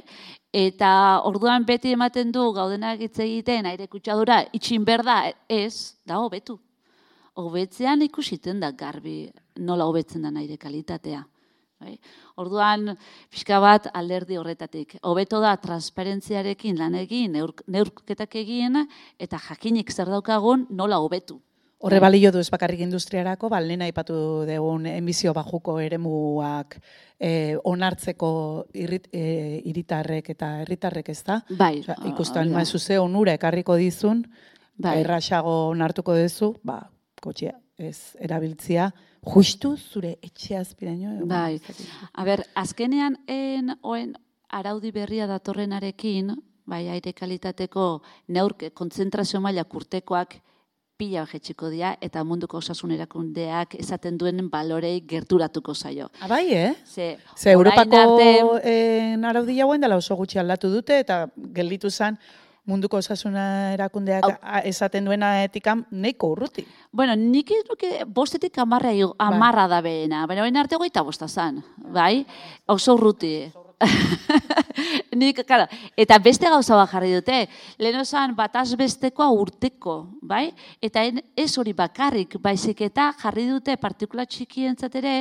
S3: Eta orduan beti ematen du gaudenak hitz egiten aire kutsadura itxin berda ez, da hobetu. Hobetzean ikusiten da garbi nola hobetzen da aire kalitatea. Bai? Orduan, pixka bat alderdi horretatik. Hobeto da transparentziarekin lan egin, neurketak egin, eta jakinik zer daukagun nola hobetu.
S2: Horre balio du ez bakarrik industriarako, ba, lehen aipatu dugun emisio bajuko eremuak eh, onartzeko irrit, eh, iritarrek eta herritarrek ez da.
S3: Bai.
S2: Osa, ikusten oh, maizu ze onura ekarriko dizun, bai. Erraxago onartuko duzu, ba, kotxea ez erabiltzia, justu zure etxe azpiraino.
S3: Bai. A ber, azkenean en, oen araudi berria datorrenarekin, bai, aire kalitateko neurke kontzentrazio maila kurtekoak pila jetxiko dira, eta munduko osasun erakundeak esaten duen balorei gerturatuko zaio.
S2: Abai, eh?
S3: Ze,
S2: Ze Europako arte... eh, araudia hauen dela oso gutxi aldatu dute, eta gelditu zen munduko osasuna erakundeak Au. esaten duena etikan neiko urruti.
S3: Bueno, nik ez nuke bostetik amarra, amarra da behena, baina baina arte goita bosta zan, bai? Oso urruti. Nik, claro, eta beste gauza bat jarri dute, lehen osan bataz bestekoa urteko, bai? Eta ez hori bakarrik, baizik eta jarri dute partikula txikientzat ere,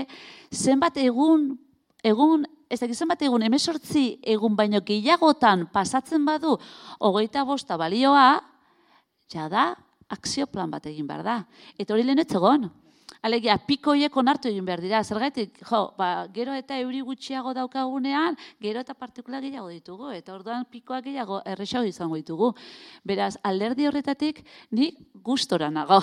S3: zenbat egun, egun, ez dakit zenbat egun, hemezortzi egun baino gehiagotan pasatzen badu, hogeita bosta balioa, jada, akzio plan bat egin behar da. Eta hori lehen ez egon. Alegia, pikoiek onartu egin behar dira. Zergatik, jo, ba, gero eta euri gutxiago daukagunean, gero eta partikula gehiago ditugu, eta orduan pikoak gehiago erresago izango ditugu. Beraz, alderdi horretatik, ni gustora nago.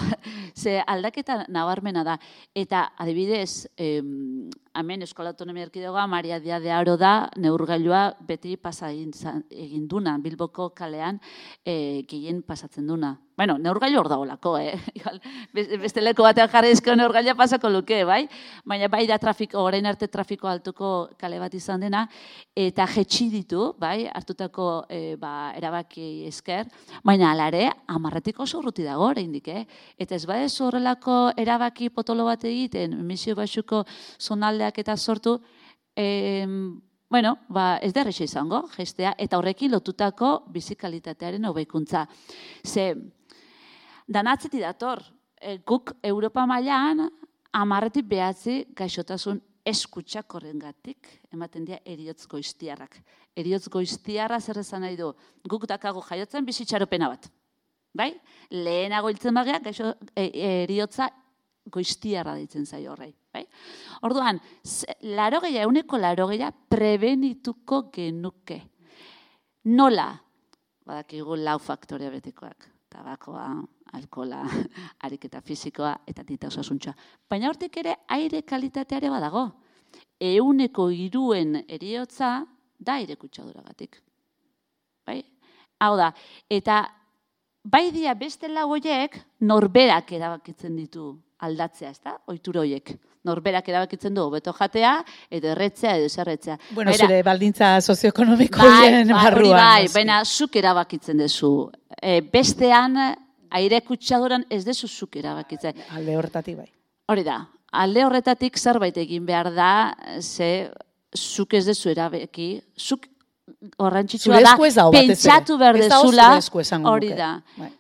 S3: Ze aldaketa nabarmena da. Eta, adibidez, em, hemen Eskola Autonomia Erkidegoa, Maria Dia de Aro da, neurgailua beti pasa egin duna, Bilboko kalean e, gehien pasatzen duna. Bueno, neurgailu hor dagoelako, eh? Beste leko batean jarrizko neurgailua pasako luke, bai? Baina bai da trafiko, orain arte trafiko altuko kale bat izan dena, eta jetxi ditu, bai? Hartutako e, ba, erabaki esker, baina alare, amarretik oso urruti dago, oraindik, eh? Eta ez badez horrelako erabaki potolo bat egiten, emisio baxuko zonaldeak eta sortu, eh, bueno, ba, ez da erresa izango, gestea, eta horrekin lotutako bizikalitatearen hobeikuntza. Ze, danatzeti dator, e, guk Europa mailan amarretik behatzi gaixotasun eskutsak horrengatik, ematen dira eriotz goiztiarrak. Eriotz goiztiarra zer esan nahi du, guk dakago jaiotzen bizitxaropena bat. Bai? Lehenago hiltzen bagea, gaixo, e, eriotza goiztiarra ditzen zaio horrei. Bai? Orduan, larogeia, euneko larogeia prebenituko genuke. Nola? Badakigu lau faktorea betikoak. Tabakoa, alkola, ariketa fisikoa eta dieta osasuntza. Baina hortik ere aire kalitateare badago. Euneko hiruen heriotza da aire kutsaduragatik. Bai? Hau da, eta bai dia beste lau horiek norberak erabakitzen ditu aldatzea, ezta? Ohitura horiek. Norberak erabakitzen du hobeto jatea, edo erretzea, edo zerretzea.
S2: Bueno, zure baldintza sozioekonomiko horien barruan.
S3: Bai, baina zuk erabakitzen duzu. E, bestean, aire kutsaduran ez dezu zuk erabakitzen.
S2: Alde horretatik bai.
S3: Hori da, alde horretatik zerbait egin behar da, ze zuk ez dezu erabaki, zuk horrantzitsua da, pentsatu behar dezula, hori da.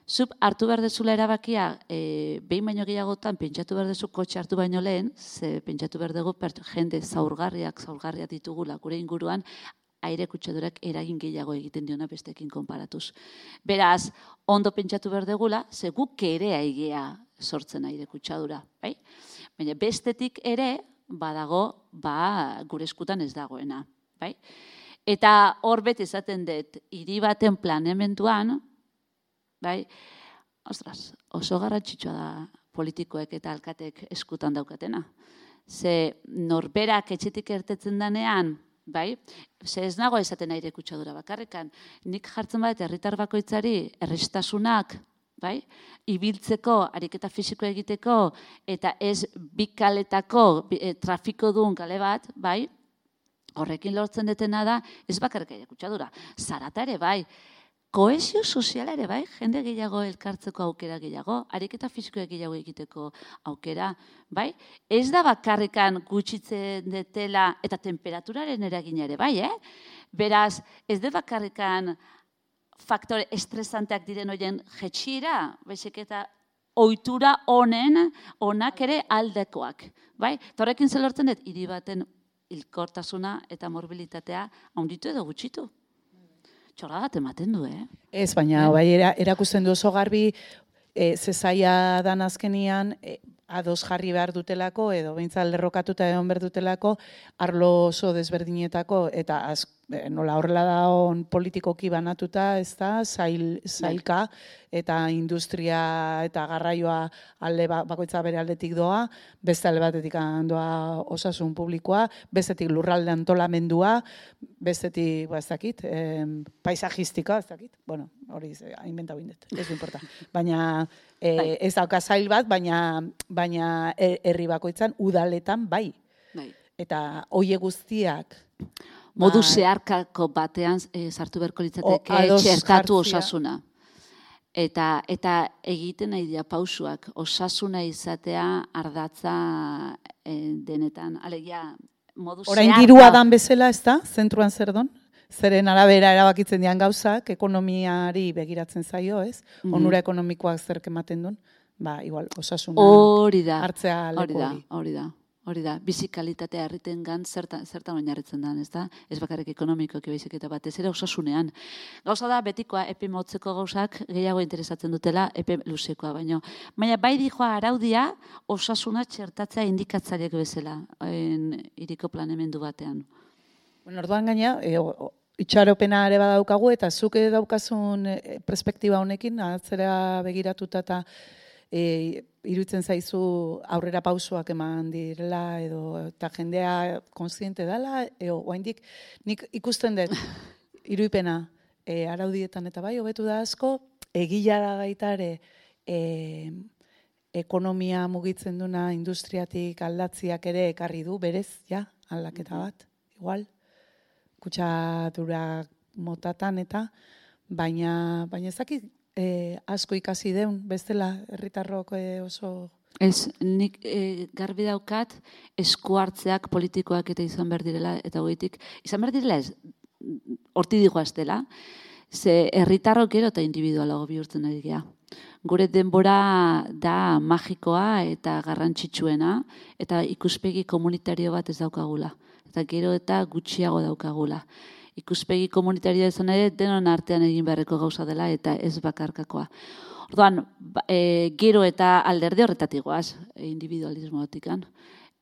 S3: Zuk hartu behar dezula erabakia, e, behin baino gehiagotan, pentsatu behar dezu kotxe hartu baino lehen, ze pentsatu behar dugu jende zaurgarriak, zaurgarriak ditugula gure inguruan, aire kutsadurak eragin gehiago egiten diona bestekin konparatuz. Beraz, ondo pentsatu behar dugula, ze guk ere aigea sortzen aire kutsadura, bai? Baina bestetik ere, badago, ba, gure eskutan ez dagoena, bai? Eta hor beti esaten dut, hiri baten planeamenduan, bai, ostras, oso garrantzitsua da politikoek eta alkatek eskutan daukatena. Ze norberak etxetik ertetzen danean, bai, ze ez nago esaten aire kutsadura bakarrikan, nik jartzen bat herritar bakoitzari errestasunak, bai, ibiltzeko, ariketa fisiko egiteko, eta ez bikaletako e, trafiko duen kale bat, bai, horrekin lortzen detena da, ez bakarrik aire kutsadura, zarata ere bai, kohesio soziala ere bai, jende gehiago elkartzeko aukera gehiago, ariketa fisikoa gehiago egiteko aukera, bai? Ez da bakarrikan gutxitzen detela eta temperaturaren eragina ere bai, eh? Beraz, ez da bakarrikan faktore estresanteak diren horien jetxira, baizik eta ohitura honen onak ere aldekoak, bai? Horrekin zelortzen dut, hiri baten hilkortasuna eta morbilitatea handitu edo gutxitu. Txorragat ematen du, eh?
S2: Ez, baina bai erakusten du oso garbi, e, zezaia dan azkenian, e, ados jarri behar dutelako, edo behintzat lerrokatuta egon behar dutelako, arlo oso desberdinetako, eta az, e, nola horrela da on politikoki banatuta, ez da, zail, zailka, eta industria eta garraioa alde bakoitza bere aldetik doa, beste alde batetik doa osasun publikoa, bestetik lurralde antolamendua, bestetik, ba, ez dakit, eh, paisajistika, ez dakit, bueno, hori inventau indet, ez du importa. Baina eh, ez dauka zail bat, baina baina herri bakoitzan udaletan bai.
S3: Bai.
S2: Eta hoie guztiak
S3: modu zeharkako batean e, sartu beharko litzateke txertatu osasuna. Eta, eta egiten nahi dira pausuak, osasuna izatea ardatza e, denetan. Alegia, modu zeharka.
S2: Orain dirua dan bezala, ez da? Zentruan zer don? Zeren arabera erabakitzen dian gauzak, ekonomiari begiratzen zaio, ez? Mm-hmm. Onura ekonomikoak zerk ematen duen. Ba, igual, osasuna
S3: hori da,
S2: hartzea leku
S3: hori. Hori da, hori da. Bizikalitatea herriten gan zertan, zertan oinarritzen den, ez da? Ez bakarrik ekonomikoak baizik eta batez ere osasunean. Gauza da, betikoa epe motzeko gauzak gehiago interesatzen dutela epe luzekoa, baino. Baina bai dijoa araudia osasuna txertatzea indikatzaileak bezala, hiriko planeamendu batean.
S2: Bueno, orduan gaina, e, itxaropena ere badaukagu, eta zuk daukazun perspektiba honekin, atzera begiratuta eta E, iruditzen zaizu aurrera pausoak eman direla edo eta jendea kontziente dela, edo oraindik nik ikusten dut iruipena e, araudietan eta bai hobetu da asko, egila da baita ere e, ekonomia mugitzen duna industriatik aldatziak ere ekarri du berez, ja, aldaketa bat, igual, kutsadura motatan eta, baina, baina ezakit, E, asko ikasi deun, bestela, herritarrok e, oso...
S3: Ez, nik e, garbi daukat esku hartzeak politikoak eta izan behar direla, eta goitik, izan behar direla ez, horti digoaz dela, ze herritarrok gero eta individualago bihurtzen ari gea. Gure denbora da magikoa eta garrantzitsuena, eta ikuspegi komunitario bat ez daukagula, eta gero eta gutxiago daukagula. Ikuspegi komunitarioa izan ere, denon artean egin beharreko gauza dela eta ez bakarkakoa. Orduan, e, gero eta alderde horretatik goaz, individualismo batikan.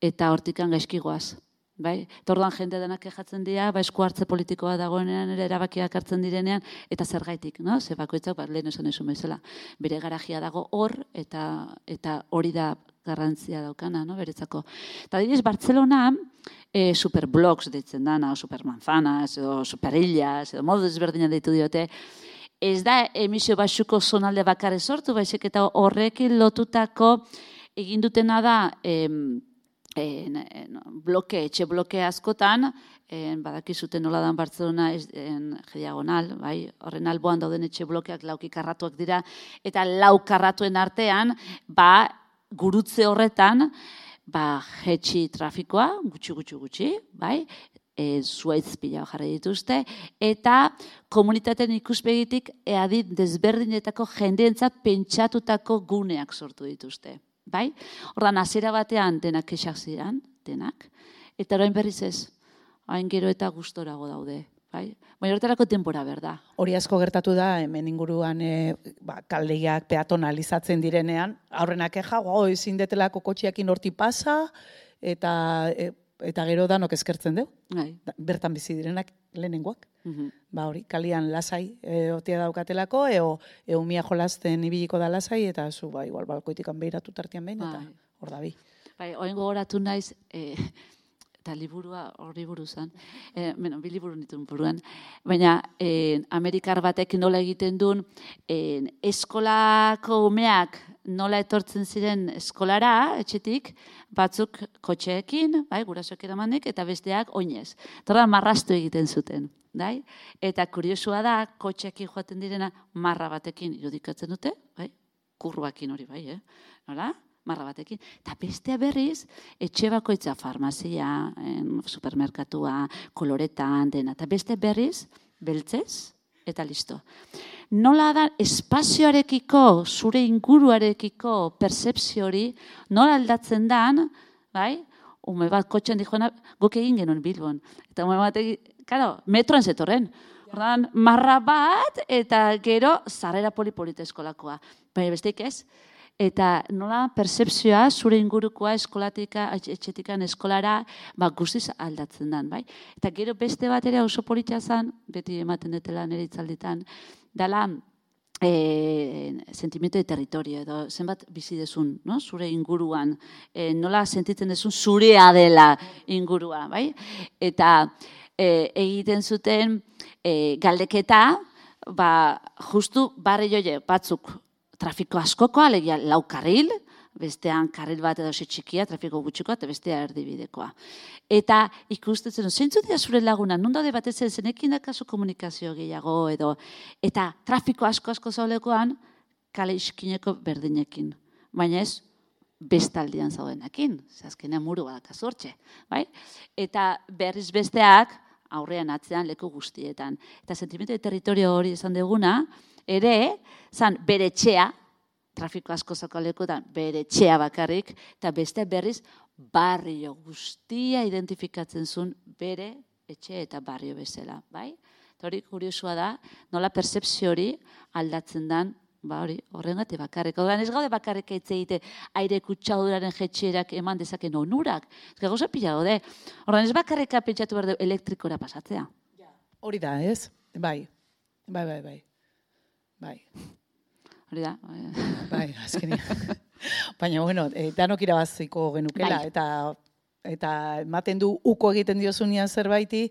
S3: eta hortikan gaizkigoaz. Bai, tordan jende denak kejatzen dira, ba esku hartze politikoa dagoenean ere erabakiak hartzen direnean eta zergaitik, no? Ze bakoitzak ba lehen esan esun bezala. Bere garajia dago hor eta eta hori da garrantzia daukana, no? Beretzako. Ta adibidez Bartzelona eh superblogs deitzen dana, o supermanzanas edo superillas edo modu desberdinak deitu diote. Ez da emisio baxuko zonalde bakarra sortu, baizik eta horrekin lotutako egin dutena da em, En, en, bloke, etxe bloke askotan, en, badakizuten nola dan Bartzelona en, diagonal, bai, horren alboan dauden etxe blokeak lauki karratuak dira, eta lau karratuen artean, ba, gurutze horretan, ba, jetxi trafikoa, gutxi, gutxi, gutxi, bai, e, zuaitz pila jarri dituzte, eta komunitateen ikuspegitik eadit desberdinetako jendeentzat pentsatutako guneak sortu dituzte. Bai? Ordan hasiera batean denak kexak ziren, denak, eta orain berriz ez, hain gero eta gustorago daude. Bai? Baina horretarako denbora berda.
S2: Hori asko gertatu da, hemen inguruan e, ba, kaldegiak peatonalizatzen direnean, aurrenak eja, oh, ezin detelako kotxiakin horti pasa, eta, e, eta gero danok eskertzen deu.
S3: Bai.
S2: Bertan bizi direnak lehenengoak.
S3: Mhm.
S2: Ba hori, kalian lasai e, otia daukatelako, eo, eo mia jolasten ibiliko da lasai, eta zu, ba, igual, balkoitikan behiratu tartian behin, eta
S3: Bai.
S2: hor da bi.
S3: Bai, oin gogoratu naiz, eh, eta liburua horri buruzan, eh, bueno, bi liburu nituen buruan, baina eh, Amerikar batek nola egiten duen, eh, eskolako umeak nola etortzen ziren eskolara, etxetik, batzuk kotxeekin, bai, gurasoak eramanek, eta besteak oinez. Torra marrastu egiten zuten. Dai? Eta kuriosua da, kotxeekin joaten direna marra batekin irudikatzen dute, bai? Kurruakin hori bai, eh? Nola? Marra batekin. Eta bestea berriz, etxe bakoitza farmazia, supermerkatua, koloretan, dena. Eta beste berriz, beltzez, eta listo. Nola da espazioarekiko, zure inguruarekiko percepzio hori, nola aldatzen dan, bai? Ume bat kotxean dijoena, guk egin genuen Bilbon. Eta ume bat egin, claro, metroan zetorren. Ordan marra bat eta gero zarrera polipolita eskolakoa. Baina besteik ez. Eta nola percepzioa zure ingurukoa eskolatika, etxetikan eskolara, ba, guztiz aldatzen dan, bai? Eta gero beste bat ere oso politia zen, beti ematen detela nire itzalditan, dala e, sentimiento de territorio, edo zenbat bizi dezun, no? Zure inguruan, e, nola sentitzen dezun zurea dela ingurua, bai? Eta e, egiten zuten e, galdeketa, ba, justu barri joie batzuk trafiko askoko, alegia lau karril, bestean karril bat edo txikia, trafiko gutxikoa, eta bestea erdibidekoa. Eta ikustetzen, zeintzu dira zure laguna, non daude batez zen, zenekin dakazu komunikazio gehiago, edo, eta trafiko asko-asko zaulekoan, kale iskineko berdinekin. Baina ez, bestaldian zaudenekin, zazkenean muru badakazu hortxe, bai? Eta berriz besteak, aurrean atzean leku guztietan. Eta sentimentu de territorio hori esan duguna, ere, zan bere etxea, trafiko asko zakalekutan, bere etxea bakarrik, eta beste berriz barrio guztia identifikatzen zuen bere etxe eta barrio bezala, bai? Eta hori kuriosua da, nola percepzio hori aldatzen dan, ba hori, horrengatik bakarrik. Horren ez gaude bakarrik eitze egite aire kutsaduraren jetxerak eman dezaken onurak. Ez gauza pila gaude. Horren ez bakarrika pentsatu behar du elektrikora pasatzea.
S2: Hori da, ez? Bai, bai, bai, bai. Bai.
S3: Hori da.
S2: Bai, azkenean. Baina, bueno, e, danok irabaziko genukela,
S3: Bai.
S2: eta eta ematen du uko egiten diozunean zerbaiti,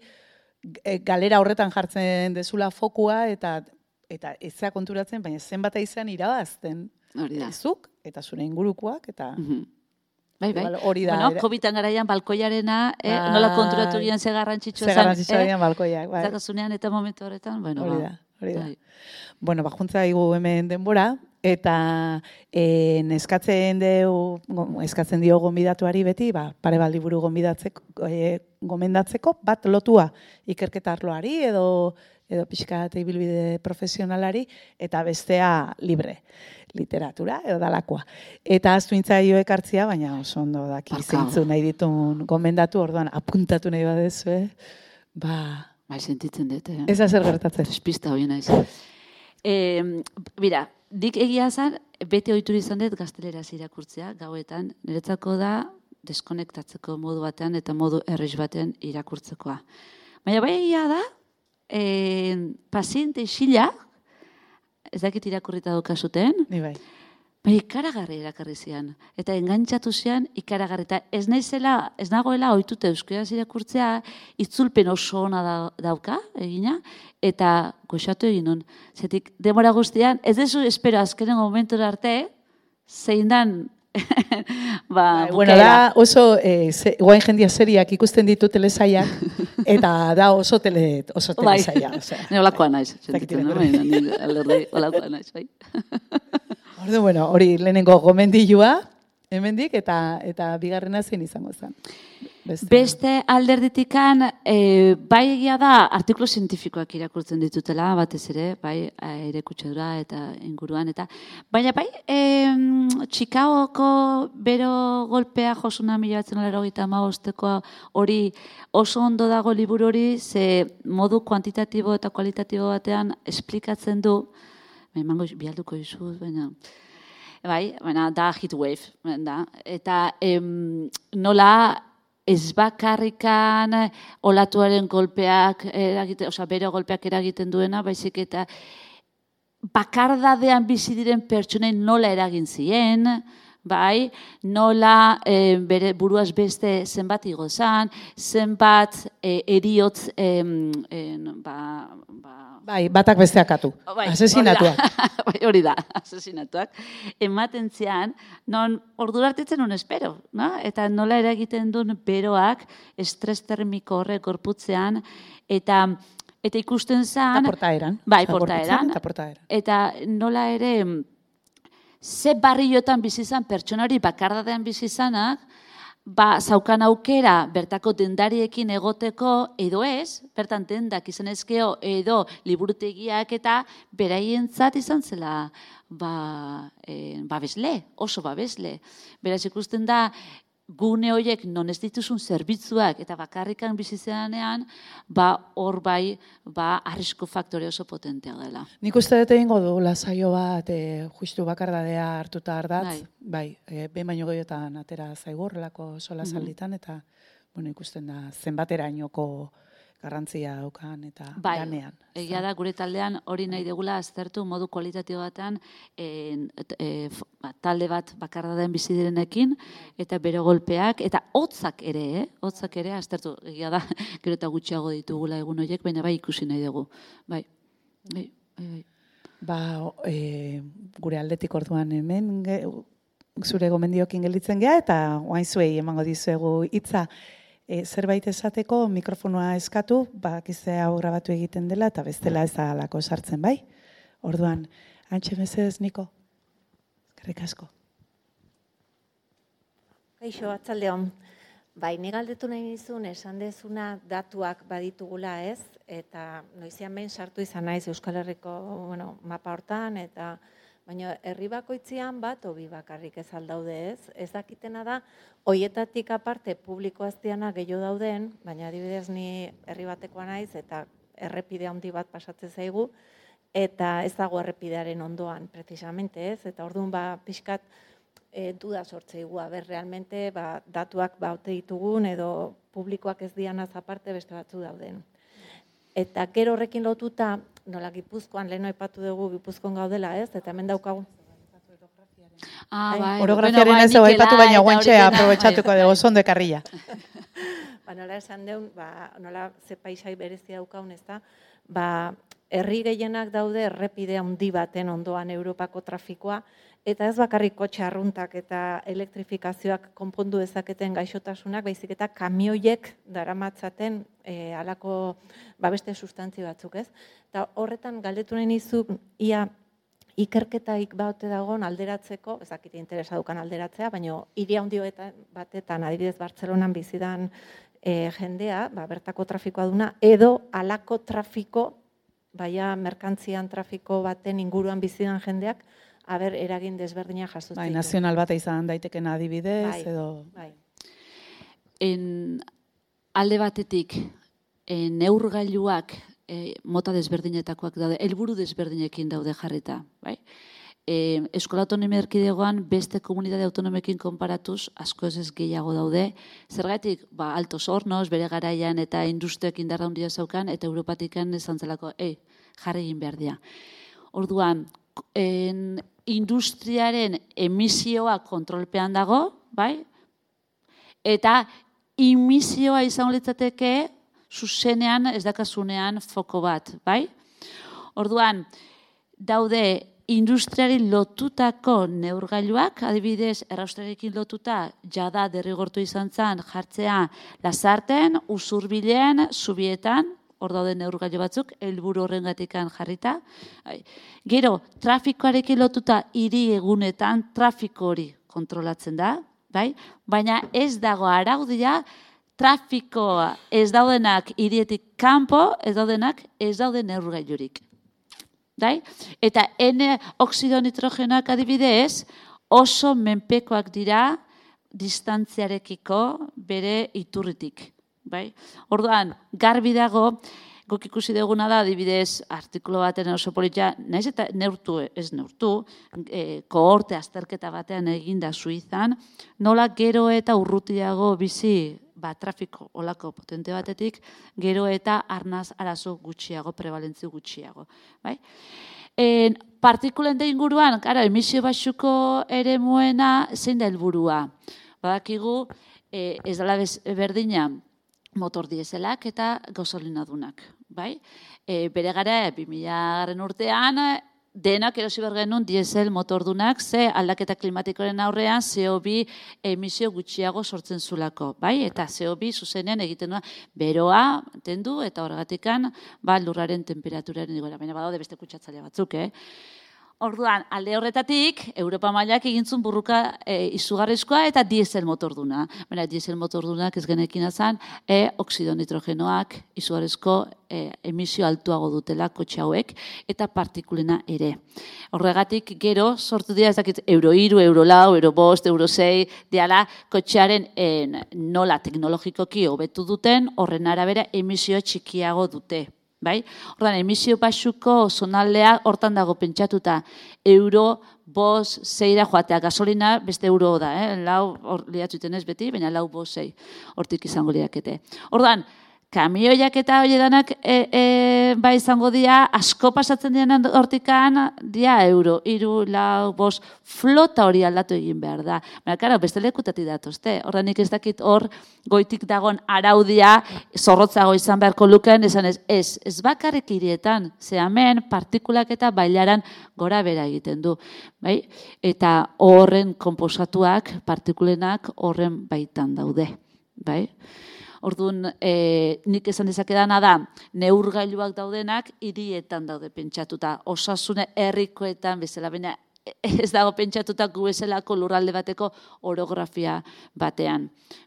S2: e, galera horretan jartzen dezula fokua, eta eta ezea konturatzen, baina zenbat izan irabazten.
S3: Hori da.
S2: Zuk, eta zure ingurukoak, eta...
S3: Mhm. Bai, bai.
S2: Igual hori da,
S3: Bueno,
S2: ere-
S3: kobitan garaian balkoiarena, eh,
S2: Bai.
S3: nola konturatu gian ze garrantzitsua
S2: Ze
S3: zen.
S2: garrantzitsua dian balkoiak, bai.
S3: Zakazunean eta momentu horretan, bueno,
S2: Hori
S3: ba.
S2: da, hori da.
S3: Bai.
S2: Bueno, bajuntza igu hemen denbora, eta e, eskatzen deu, go- eskatzen dio gonbidatuari beti, ba, pare bat liburu gonbidatzeko, e, gomendatzeko, bat lotua ikerketa arloari edo edo pixka bat ibilbide profesionalari, eta bestea libre, literatura edo dalakoa. Eta aztu intzaio ekartzia, baina oso ondo daki
S3: Barkatu.
S2: zeintzu nahi ditun gomendatu, orduan apuntatu nahi badezu, eh? Ba,
S3: Bai, sentitzen dut. Eh?
S2: ez da zer gertatzen.
S3: Despista hori naiz. Eh, Bira, dik egia zan, bete ohitur izan dut gazteleraz irakurtzea, gauetan. Niretzako da, deskonektatzeko modu batean eta modu errez batean irakurtzekoa. Baina bai egia da, e, paziente isila, ez dakit irakurrita daukazuten,
S2: Ni bai.
S3: bai ikaragarri irakarri zian. Eta engantzatu zian ikaragarri. Eta ez naizela, ez nagoela ohituta euskaraz irakurtzea, itzulpen oso ona da, dauka, egina, eta goxatu egin nun. Zetik, demora guztian, ez dezu espero azkenen momentura arte, zein dan ba,
S2: Bai, bueno, da oso, eh, ze, guain jendia seriak ikusten ditu telesaiak, eta da oso, tele, oso telesaia.
S3: Bai, ne olakoa naiz. Sentitzen, no? Ni alderdi olakoa naiz, bai.
S2: Ordu, bueno, hori lehenengo gomendilua, hemendik eta eta bigarrena zein izango zen.
S3: Beste, Beste alderditikan, e, bai egia da, artikulu zientifikoak irakurtzen ditutela, batez ere, bai, aire kutsadura eta inguruan, eta baina bai, e, Chicagoko bero golpea josuna mila batzen laro gita amabosteko hori oso ondo dago liburu hori, ze modu kuantitatibo eta kualitatibo batean esplikatzen du, emango bialduko izuz, baina... Bai, baina da heat wave, da. Eta em, nola ez bakarrikan olatuaren golpeak eragiten, osea, bero golpeak eragiten duena, baizik eta bakardadean bizi diren pertsonen nola eragin zien, bai, nola e, bere buruaz beste zenbat igozan, zenbat e, eriotz, e, e, ba, ba,
S2: bai, batak besteak atu,
S3: bai,
S2: asesinatuak.
S3: Bai, hori da, asesinatuak. Ematen zian, non ordura artitzen un espero, no? Eta nola eragiten duen beroak estres termiko horrek gorputzean, eta eta ikusten zan...
S2: Eta portaeran.
S3: Bai, portaeran.
S2: Eta portaeran.
S3: Eta nola ere... Ze barriotan bizi izan pertsonari bakardadean bizi izanak, ba, zaukan aukera bertako dendariekin egoteko edo ez, bertan dendak izan ezkeo edo liburutegiak eta beraientzat izan zela ba, e, babesle, oso babesle. Beraz ikusten da, gune horiek non ez dituzun zerbitzuak eta bakarrikan bizizeanean, ba, hor bai, ba, arrisku faktore oso potentea dela.
S2: Nik uste dut egingo dugula saio bat, e, justu bakardadea hartuta ardatz, bai, bai e, behin baino gehiotan atera zaigu horrelako sola salditan, eta, bueno, ikusten da, zenbaterainoko garrantzia daukan eta
S3: bai,
S2: ganean.
S3: Egia da, gure taldean hori nahi degula aztertu modu kualitatibo batan e, e, ba, talde bat bakardaden bizi direnekin eta bero golpeak eta hotzak ere, eh? Hotzak ere aztertu. Egia da, gero eta gutxiago ditugula egun horiek, baina bai ikusi nahi dugu. Bai, bai, bai. bai.
S2: Ba, e, gure aldetik orduan hemen ge, zure gomendiokin gelditzen gea eta oain zuei emango dizuegu hitza. E, zerbait esateko mikrofonoa eskatu, bakizte hau grabatu egiten dela, eta bestela ez da alako sartzen, bai? Orduan, antxe mesedez, Niko? Eskerrik asko.
S4: Kaixo, atzaldeon. Bai, ni galdetu nahi nizun, esan dezuna datuak baditugula ez, eta noizian behin sartu izan naiz Euskal Herriko bueno, mapa hortan, eta baina herri bakoitzean bat, obi bakarrik ez aldaude ez. Ez dakitena da, hoietatik aparte publiko aztiana gehiago dauden, baina adibidez ni herri batekoa naiz eta errepide handi bat pasatzen zaigu, eta ez dago errepidearen ondoan, precisamente ez, eta orduan ba, pixkat e, duda sortzeigu, ber, realmente ba, datuak baute ditugun edo publikoak ez dianaz aparte beste batzu dauden. Eta gero horrekin lotuta, nola Gipuzkoan, lehen aipatu dugu Gipuzkoan gaudela, ez? Eta hemen daukagu.
S3: Ah, bai.
S2: Orografiaren ez dugu aipatu, baina guantxe aprobetxatuko dugu, zondo ekarrila.
S4: Ba, nola esan deun, ba, nola ze paisai berezi daukaun, ez da? Ba, herri gehienak daude errepide handi baten ondoan Europako trafikoa, eta ez bakarrik kotxe arruntak eta elektrifikazioak konpondu dezaketen gaixotasunak, baizik eta kamioiek daramatzaten e, alako ba, beste sustantzi batzuk, ez? Eta horretan galdetu nahi nizuk, ia ikerketaik baute dagoen alderatzeko, ez dakit interesa dukan alderatzea, baina hiri handi batetan, adibidez Bartzelonan bizidan e, jendea, ba, bertako trafikoa duna, edo alako trafiko, baina merkantzian trafiko baten inguruan bizidan jendeak, haber eragin desberdina jasotzen.
S2: Bai, nazional bat izan daiteken adibidez,
S4: bai,
S2: edo...
S4: Bai.
S3: En, alde batetik, en, neurgailuak e, mota desberdinetakoak daude, helburu desberdinekin daude jarrita. Bai? e, Euskal Autonomia Erkidegoan beste komunitate autonomekin konparatuz asko ez gehiago daude. Zergatik, ba, Altos Hornos, bere garaian eta industriak indarra handia zaukan, eta Europatikan esan zelako, ei, jarri egin behar dira. Orduan, en, industriaren emisioa kontrolpean dago, bai? Eta emisioa izango litzateke zuzenean ez dakazunean foko bat, bai? Orduan, daude industriari lotutako neurgailuak, adibidez, erraustrarekin lotuta, jada derrigortu izan zen jartzea Lasarten, Usurbilen, Zubietan, hor daude neurgailu batzuk, helburu horrengatikan jarrita. Gero, trafikoarekin lotuta hiri egunetan trafiko hori kontrolatzen da, bai? Baina ez dago araudia, trafikoa ez daudenak hirietik kanpo, ez daudenak ez dauden neurgailurik. Dai? Eta N oxido nitrogenoak adibidez oso menpekoak dira distantziarekiko bere iturritik. Bai? Orduan, garbi dago, guk ikusi duguna da, adibidez, artikulu baten oso politia, naiz eta neurtu, ez neurtu, e, kohorte azterketa batean eginda Suizan, nola gero eta urrutiago bizi, ba, trafiko olako potente batetik, gero eta arnaz arazo gutxiago, prevalentzi gutxiago. Bai? En, partikulen da inguruan, gara, emisio baxuko ere muena, zein da helburua. Badakigu, e, ez dela berdina, motor dieselak eta gasolinadunak, bai? E, bere gara, bi mila garren urtean, denak erosi behar genuen diesel motordunak, ze aldaketa klimatikoren aurrean C O bi emisio gutxiago sortzen zulako, bai? Eta C O bi zuzenean egiten duena beroa tendu eta horregatikan ba, lurraren temperaturaren igoera. Baina badaude beste kutsatzaile batzuk, eh? Orduan, alde horretatik, Europa mailak egintzun burruka e, izugarrizkoa eta diesel motorduna. Baina, diesel motordunak ez genekin azan, e, oxido nitrogenoak izugarrizko e, emisio altuago dutela kotxe hauek eta partikulena ere. Horregatik, gero, sortu dira, ez dakit, euro iru, euro lau, euro bost, euro sei, diala, kotxearen en, nola teknologikoki hobetu duten, horren arabera emisio txikiago dute. Bai? Ordan, emisio baxuko zonaldea hortan dago pentsatuta euro, bos, zeira joatea, gasolina beste euro da, eh? Lau, hor liatzuten ez beti, baina lau, bos, zei, hortik izango liakete. Ordan, kamioiak eta hoiedanak e, e, ba izango dira, asko pasatzen diren hortikan, dia euro, iru, lau, bos, flota hori aldatu egin behar da. Baina, karo, beste lekutati datozte. Horda nik ez dakit hor goitik dagon araudia zorrotzago izan beharko luken, esan ez, ez, ez bakarrik hirietan, ze hemen partikulak eta bailaran gora bera egiten du. Bai? Eta horren konposatuak, partikulenak horren baitan daude. Bai? Orduan, e, nik esan dezakedana da, neurgailuak daudenak hirietan daude pentsatuta. Osasune herrikoetan bezala, baina ez dago pentsatuta gu bezalako lurralde bateko orografia batean.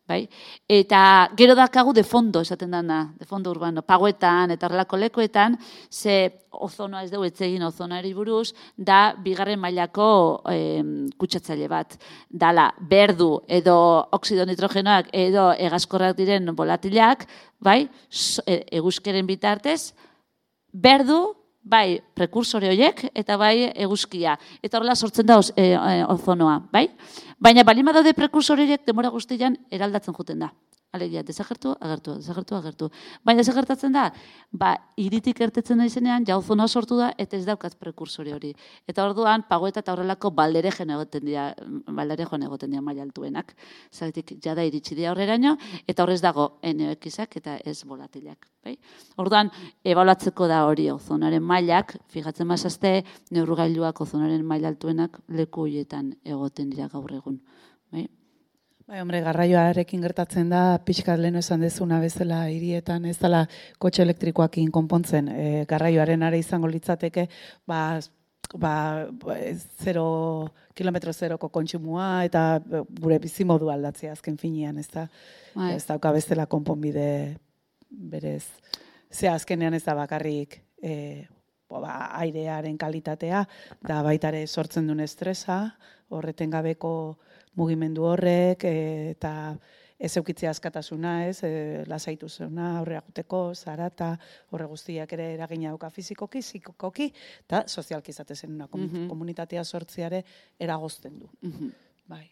S3: Bai? Eta gero dakagu de fondo, esaten dana, de fondo urbano, pagoetan eta horrelako lekuetan, ze ozonoa ez dugu etzegin ozonoari buruz, da bigarren mailako eh, kutsatzaile bat. Dala, berdu edo oxido nitrogenoak edo egazkorrak diren volatilak, bai, eguzkeren bitartez, berdu, bai, prekursore horiek, eta bai, eguzkia. Eta horrela sortzen da e, e, ozonoa, bai? Baina balima daude prekursore horiek demora guztian eraldatzen juten da. Alegia, desagertu, agertu, desagertu, agertu. Baina desagertatzen da, ba, hiritik ertetzen da izenean, ja ozonoa sortu da, eta ez daukat prekursore hori. Eta orduan, pagoeta eta horrelako balderejen egoten dira, balderejoan egoten dira maila altuenak. Zagatik, jada iritsi dira horreraino, eta horrez dago N O X-ak eta ez volatilak. Bai? Orduan, ebaluatzeko da hori ozonaren mailak, fijatzen mazazte, neurgailuak ozonaren maila altuenak leku horietan egoten dira gaur egun. Bai?
S2: Bai, hombre, garraioarekin gertatzen da, pixkat lehen esan dezuna bezala hirietan, ez dela kotxe elektrikoakin konpontzen. E, garraioaren are izango litzateke, ba, ba, zero, kilometro zeroko kontsumua eta gure bizimodu aldatzea azken finean, ez da,
S3: bai.
S2: Ez dauka bezala konponbide berez. Ze azkenean ez da bakarrik e, ba, airearen kalitatea, da baitare sortzen duen estresa, horreten gabeko mugimendu horrek eta ez eukitzea askatasuna, ez, e, lasaitu zena, aurrera guteko, zarata, horre guztiak ere eragina dauka fizikoki, psikokoki, eta sozialki izate zen una
S3: Mhm.
S2: komunitatea sortziare eragozten du.
S3: Mhm.
S2: Bai.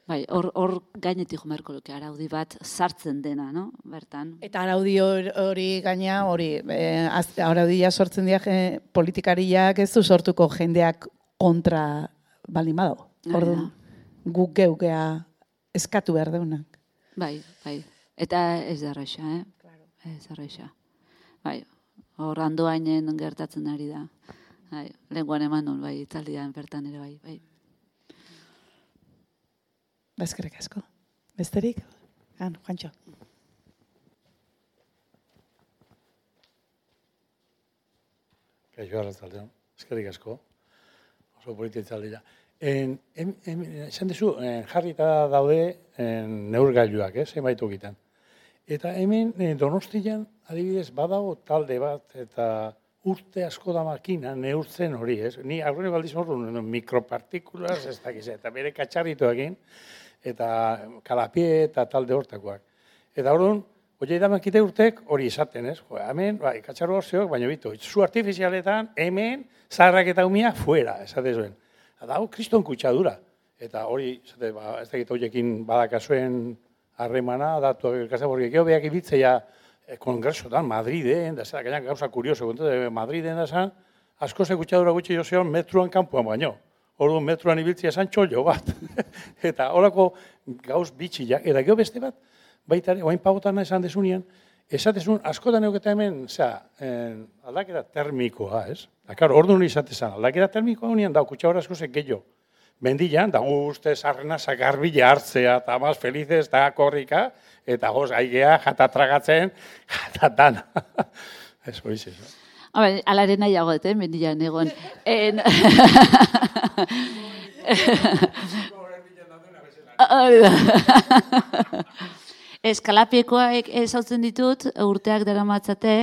S3: Bai, hor hor gainetik jo beharko luke araudi bat sartzen dena, no? Bertan.
S2: Eta araudi hor- hori gaina, hori, eh, az- araudia sortzen dira eh, politikariak ez du sortuko jendeak kontra baldin badago.
S3: Hori
S2: Orduan,
S3: da.
S2: guk geukea eskatu behar deunak.
S3: Bai, bai. Eta ez da erraixa, eh? Ez da erraixa. Bai, hor andoainen gertatzen ari da. Bai, lenguan eman nun, bai, itzaldian bertan ere, bai, bai.
S2: Bezkerrik asko. Besterik? Han, Juantxo.
S5: Kaixo arratzaldeon, eskerrik asko, oso polita itzaldia. En, em, em, esan dezu, en, jarrita daude en, neurgailuak, eh, zenbait tokitan. Eta hemen eh, Donostian, adibidez, badago talde bat, eta urte asko da makina neurtzen hori, ez? Ni aurrene baldiz horren mikropartikulas, ez dakiz, eta bere katxarritoekin, eta kalapie eta talde hortakoak. Eta orduan, hori da makite urtek hori izaten, ez? Jo, hemen, bai, katxarro horzeok, baina bitu, zu artifizialetan, hemen, zaharrak eta umia, fuera, esate zuen. Eta hau, kriston kutsadura. Eta hori, esate, ba, ez dakit horiekin badakazuen harremana, datu elkazak, porque geho behak ibitzea eh, kongresotan, Madriden, da zera, gainak gauza kurioso, kontate, Madriden da zan, asko ze kutsadura gutxi jozeon metruan kanpoan baino. Orduan metruan ibiltzea zan txollo bat. Eta horako gauz bitxiak, eta geho beste bat, baita ere, oain pagotan esan desunean, esatezun, askotan euketa hemen, zera, aldaketa termikoa, ez? Da, karo, orduan izatezan, aldaketa termikoa honien, da, kutsadura asko ze gehiago. Mendian, da guzte sarrena sakarbila hartzea, eta maz felizez, eta korrika, eta goz, aigea, jatatragatzen, jatatan. Ez, hori zez.
S3: Habe, alaren nahiago dut, eh, mendian egon. En... Hori da. Eskalapiekoak ezautzen ditut, urteak dara matzate,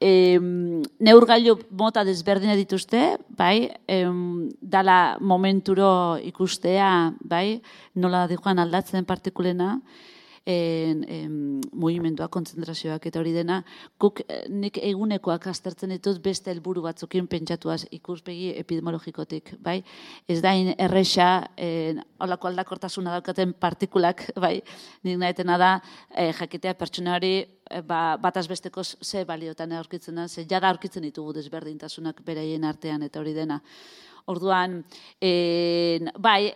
S3: em, neurgailu mota desberdina dituzte, bai, em, dala momenturo ikustea, bai, nola dijoan aldatzen partikulena, en, en, mugimendua, kontzentrazioak eta hori dena, guk nik egunekoak aztertzen ditut beste helburu batzukin pentsatuaz ikuspegi epidemiologikotik, bai? Ez da erresa, en, holako aldakortasuna daukaten partikulak, bai? Nik nahitena da, eh, jakitea pertsona hori eh, ba, bataz bestekoz ze baliotan aurkitzen da, ze jada aurkitzen ditugu desberdintasunak beraien artean eta hori dena. Orduan, en, bai,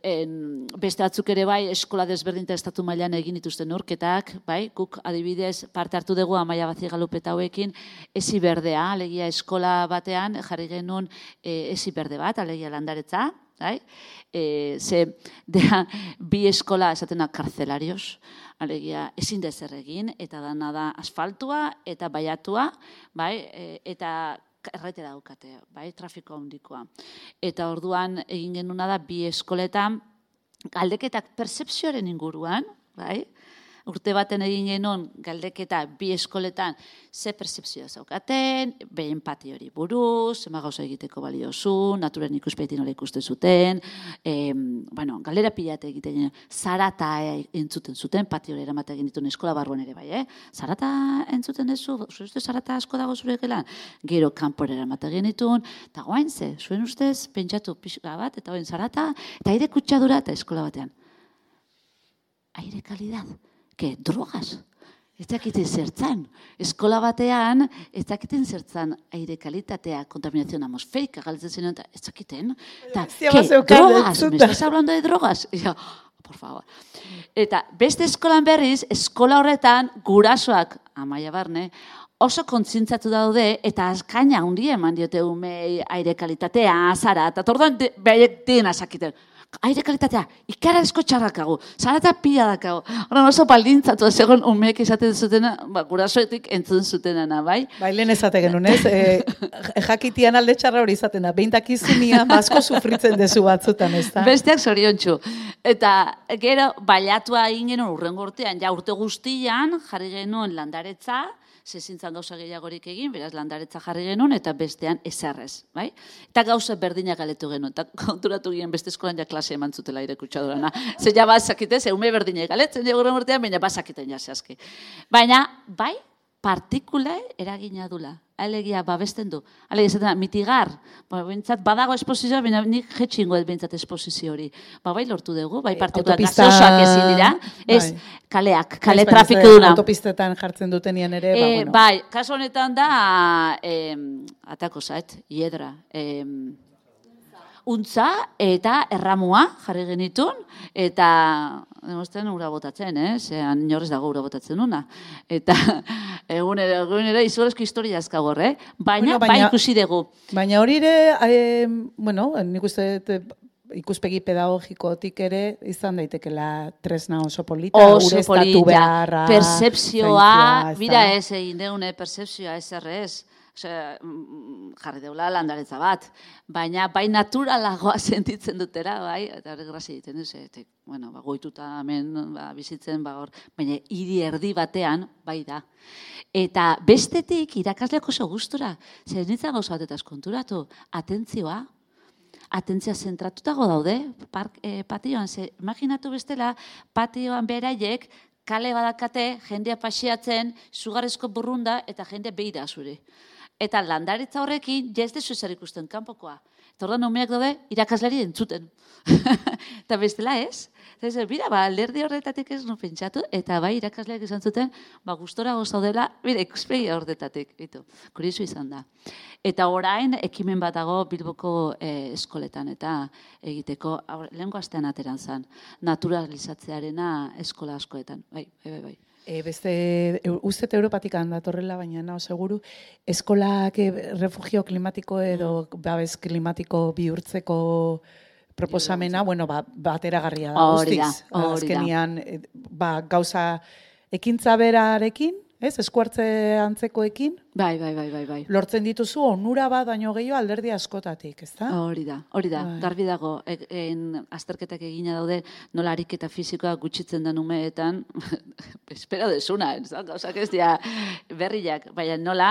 S3: en, beste batzuk ere bai, eskola desberdinta estatu mailan egin dituzten neurketak, bai, guk adibidez parte hartu dugu Amaia Bazigalupeta hauekin, ezi berdea, alegia eskola batean, jarri genuen e, ezi berde bat, alegia landaretza, bai, e, ze, dea, bi eskola esatena karzelarios, alegia ezin dezer egin, eta dana da asfaltua eta baiatua, bai, e, eta erretera daukate, bai, trafiko handikoa. Eta orduan egin genuna da bi eskoletan galdeketak pertzepzioaren inguruan, bai, urte baten egin genuen galdeketa bi eskoletan ze pertzepzioa zaukaten, behin pati hori buruz, zema gauza egiteko baliozu, naturen ikuspetin nola ikusten zuten, e, bueno, galdera pilate egiten, zarata entzuten zuten, pati hori eramaten egin dituen eskola barruan ere bai, eh? Zarata entzuten dezu, zure ustez zarata asko dago zure gelan, gero kanpora eramaten egin dituen, eta goain ze, zuen ustez, pentsatu pixka bat, eta goain zarata, eta aire kutsadura eta eskola batean. Aire kalidad. Que drogas. Ez dakiten zertzan. Eskola batean, ez dakiten zertzan aire kalitatea, kontaminazioa atmosferika galtzen zen, eta ez dakiten. Eta, que, drogas, me estás hablando de drogas? Ja, por favor. Eta beste eskolan berriz, eskola horretan, gurasoak, Amaia Barne, oso kontzientzatu daude, eta azkaina handia eman diote umei aire kalitatea, azara, eta tordoan behaiek dena sakiten. Aire kalitatea, ikarazko txarrakago, zarata pila dakago. Horren oso baldintzatu, segon umeek izaten zutena, ba, gurasoetik entzun zutenana, bai?
S2: Bai, lehen ezate genuen, ez? E, jakitian alde txarra hori izaten da, behintakizunia, basko sufritzen dezu batzutan, ez da?
S3: Besteak zoriontsu. Eta gero, baiatua egin genuen urrengo urtean, ja urte guztian, jarri genuen landaretza, zezintzan gauza gehiagorik egin, beraz landaretza jarri genuen, eta bestean ezarrez, bai? Eta gauza berdinak galetu genuen, eta konturatu ginen beste eskolan ja klase klase eman zutela aire kutsadurana. Ze ja bazakite, ze ume berdine galetzen dugu urtean, baina bazakiten jasazki. Baina, bai, partikula eragina dula. Alegia babesten du. Alegia esaten da, mitigar. Ba, bintzat, badago esposizioa, baina nik jetxingo ez bintzat esposizio hori. Ba, bai lortu dugu, bai partikula
S2: Autopista...
S3: gazosak ezin dira. Ez,
S2: bai.
S3: kaleak, kale
S2: Ez,
S3: trafiko duna.
S2: Autopistetan jartzen dutenian ere, ba,
S3: E,
S2: bueno.
S3: bai, kasu honetan da, eh, atako zait, hiedra. Eh, untza eta erramua jarri genitun, eta demosten ura botatzen, eh? Zean inorrez dago ura botatzen una. Eta egunera, egunera izugarrizko historia azkagor, eh? Baina,
S2: Bueno, baina-
S3: bai ikusi dugu.
S2: Baina hori ere, eh, bueno, nik uste dut, ikuspegi pedagogikotik ere izan daitekela tresna oso polita,
S3: Oso
S2: ureztatu
S3: polita,
S2: beharra,
S3: percepzioa,
S2: zaintzea, ez
S3: bira
S2: da?
S3: ez egin deune percepzioa ez errez. Osea, mm, jarri deula landaretza bat, baina bai naturalagoa sentitzen dutera, bai, eta hori grazi egiten duz, eta, bueno, ba, goituta hemen ba, bizitzen, ba, hor, baina hiri erdi batean, bai da. Eta bestetik irakasleak oso gustura, zer nintzen gauza batetaz konturatu, atentzioa, atentzia zentratuta daude, park, eh, patioan, ze, imaginatu bestela, patioan beraiek, kale badakate, jendea paseatzen, zugarrezko burrunda eta jendea beira zure. Eta landaritza horrekin, ja ez dezu zer ikusten kanpokoa. Eta orduan umeak daude, irakasleri entzuten. Eta bestela ez. Eta ez, bira, ba, alderdi horretatik ez nu pentsatu, eta bai irakasleak izan zuten, ba, gustora gozaudela, bira, ikuspegi horretatik. Bitu, kurizu izan da. Eta orain, ekimen bat dago Bilboko eh, eskoletan, eta egiteko, lehenko astean ateran zen, naturalizatzearena eskola askoetan. Bai, bai, bai, bai.
S2: E, beste, ustet Europatik handatorrela, baina nao seguru, eskolak e, refugio klimatiko edo babes klimatiko bihurtzeko proposamena, bueno, ba, bateragarria da,
S3: Hori da,
S2: guztiz.
S3: hori da.
S2: Azkenian, e, ba, gauza ekintza berarekin, ez, eskuartze antzekoekin,
S3: Bai, bai, bai, bai, bai.
S2: lortzen dituzu onura bat baino gehiago alderdi askotatik, ezta?
S3: Hori da, hori da,
S2: Bai.
S3: garbi dago, e, en, azterketak egina daude, nola ariketa fisikoa gutxitzen den umeetan, espero desuna, ez da, gauzak ez dira berriak, baina nola,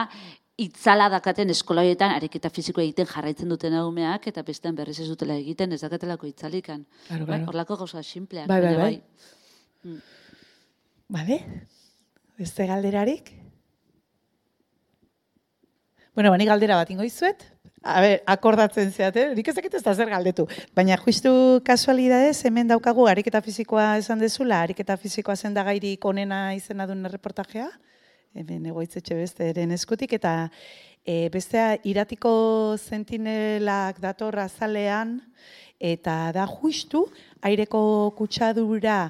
S3: itzala dakaten eskolaietan ariketa fisiko egiten jarraitzen duten umeak, eta bestean berriz ez dutela egiten, ez dakatelako itzalikan.
S2: Claro,
S3: Bai,
S2: claro.
S3: horlako gauza simpleak.
S2: Bai, bai,
S3: baina
S2: bai. Bale? Beste galderarik? Bueno, bani galdera bat ingo izuet. A ber, akordatzen zeate, nik ez dakit ez da zer galdetu. Baina justu kasualidadez, hemen daukagu ariketa fisikoa esan dezula, ariketa fisikoa zen da gairik onena izena duen reportajea, hemen egoitzetxe besteren eskutik, eta e, bestea iratiko sentinelak dator azalean, eta da justu aireko kutsadura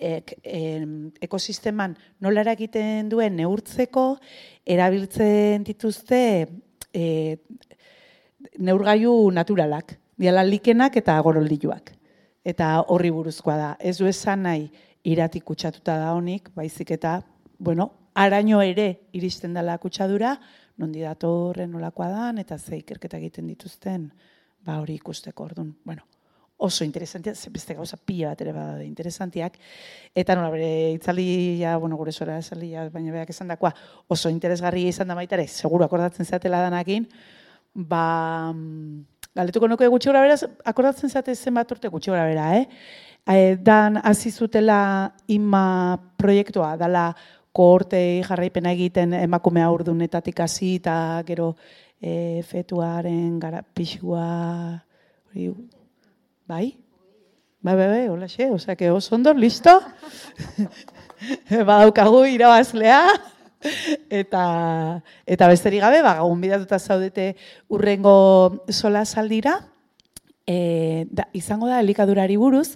S2: ek, em, ekosisteman nola eragiten duen neurtzeko, erabiltzen dituzte e, neurgailu naturalak, diala likenak eta goroldiluak. Eta horri buruzkoa da. Ez du esan nahi iratik kutsatuta da honik, baizik eta, bueno, araño ere iristen dela kutsadura, nondi datorren nolakoa dan, eta ze ikerketa egiten dituzten, ba hori ikusteko orduan. Bueno, oso interesantia, beste gauza pila bat ere bada interesantiak, eta nola bere itzalia, bueno, gure zora itzalia, baina beak esan dakoa, oso interesgarria izan da baita ere, seguru akordatzen zeatela danakin, ba, galdetuko nuke gutxi gora beraz, akordatzen zeate zenbat urte gutxi gora bera, eh? E, dan hasi zutela ima proiektua, dala kohortei jarraipena egiten emakume haurdunetatik hasi eta gero e, fetuaren gara pixua, hori, bai? Bai, bai, bai, hola xe, osea, que oso ondo, listo? Badaukagu irabazlea. Eta, eta besterik gabe, ba, gonbidatuta zaudete urrengo sola saldira, e, da, izango da elikadurari buruz,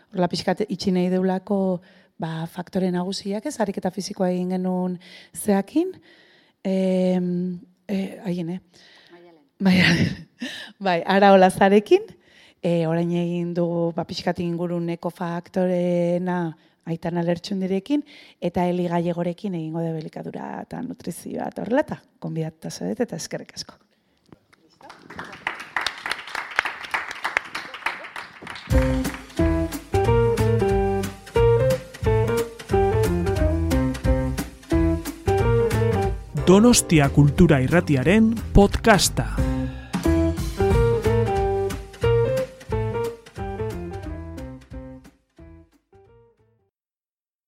S2: horrela pixkat itxi nahi deulako ba, faktore nagusiak ez, ariketa fisikoa egin genuen zeakin, e, e, haien, eh? Maialen. Bai, ara olazarekin, e, orain egin dugu ba, pixkat inguruneko faktorena, Aitana Lertxundirekin, eta Eli Gallegorekin egingo de elikadura eta nutrizioa eta horrela, eta konbidatuta zaudete eta eskerrik asko.
S1: Donostia Kultura Irratiaren podcasta.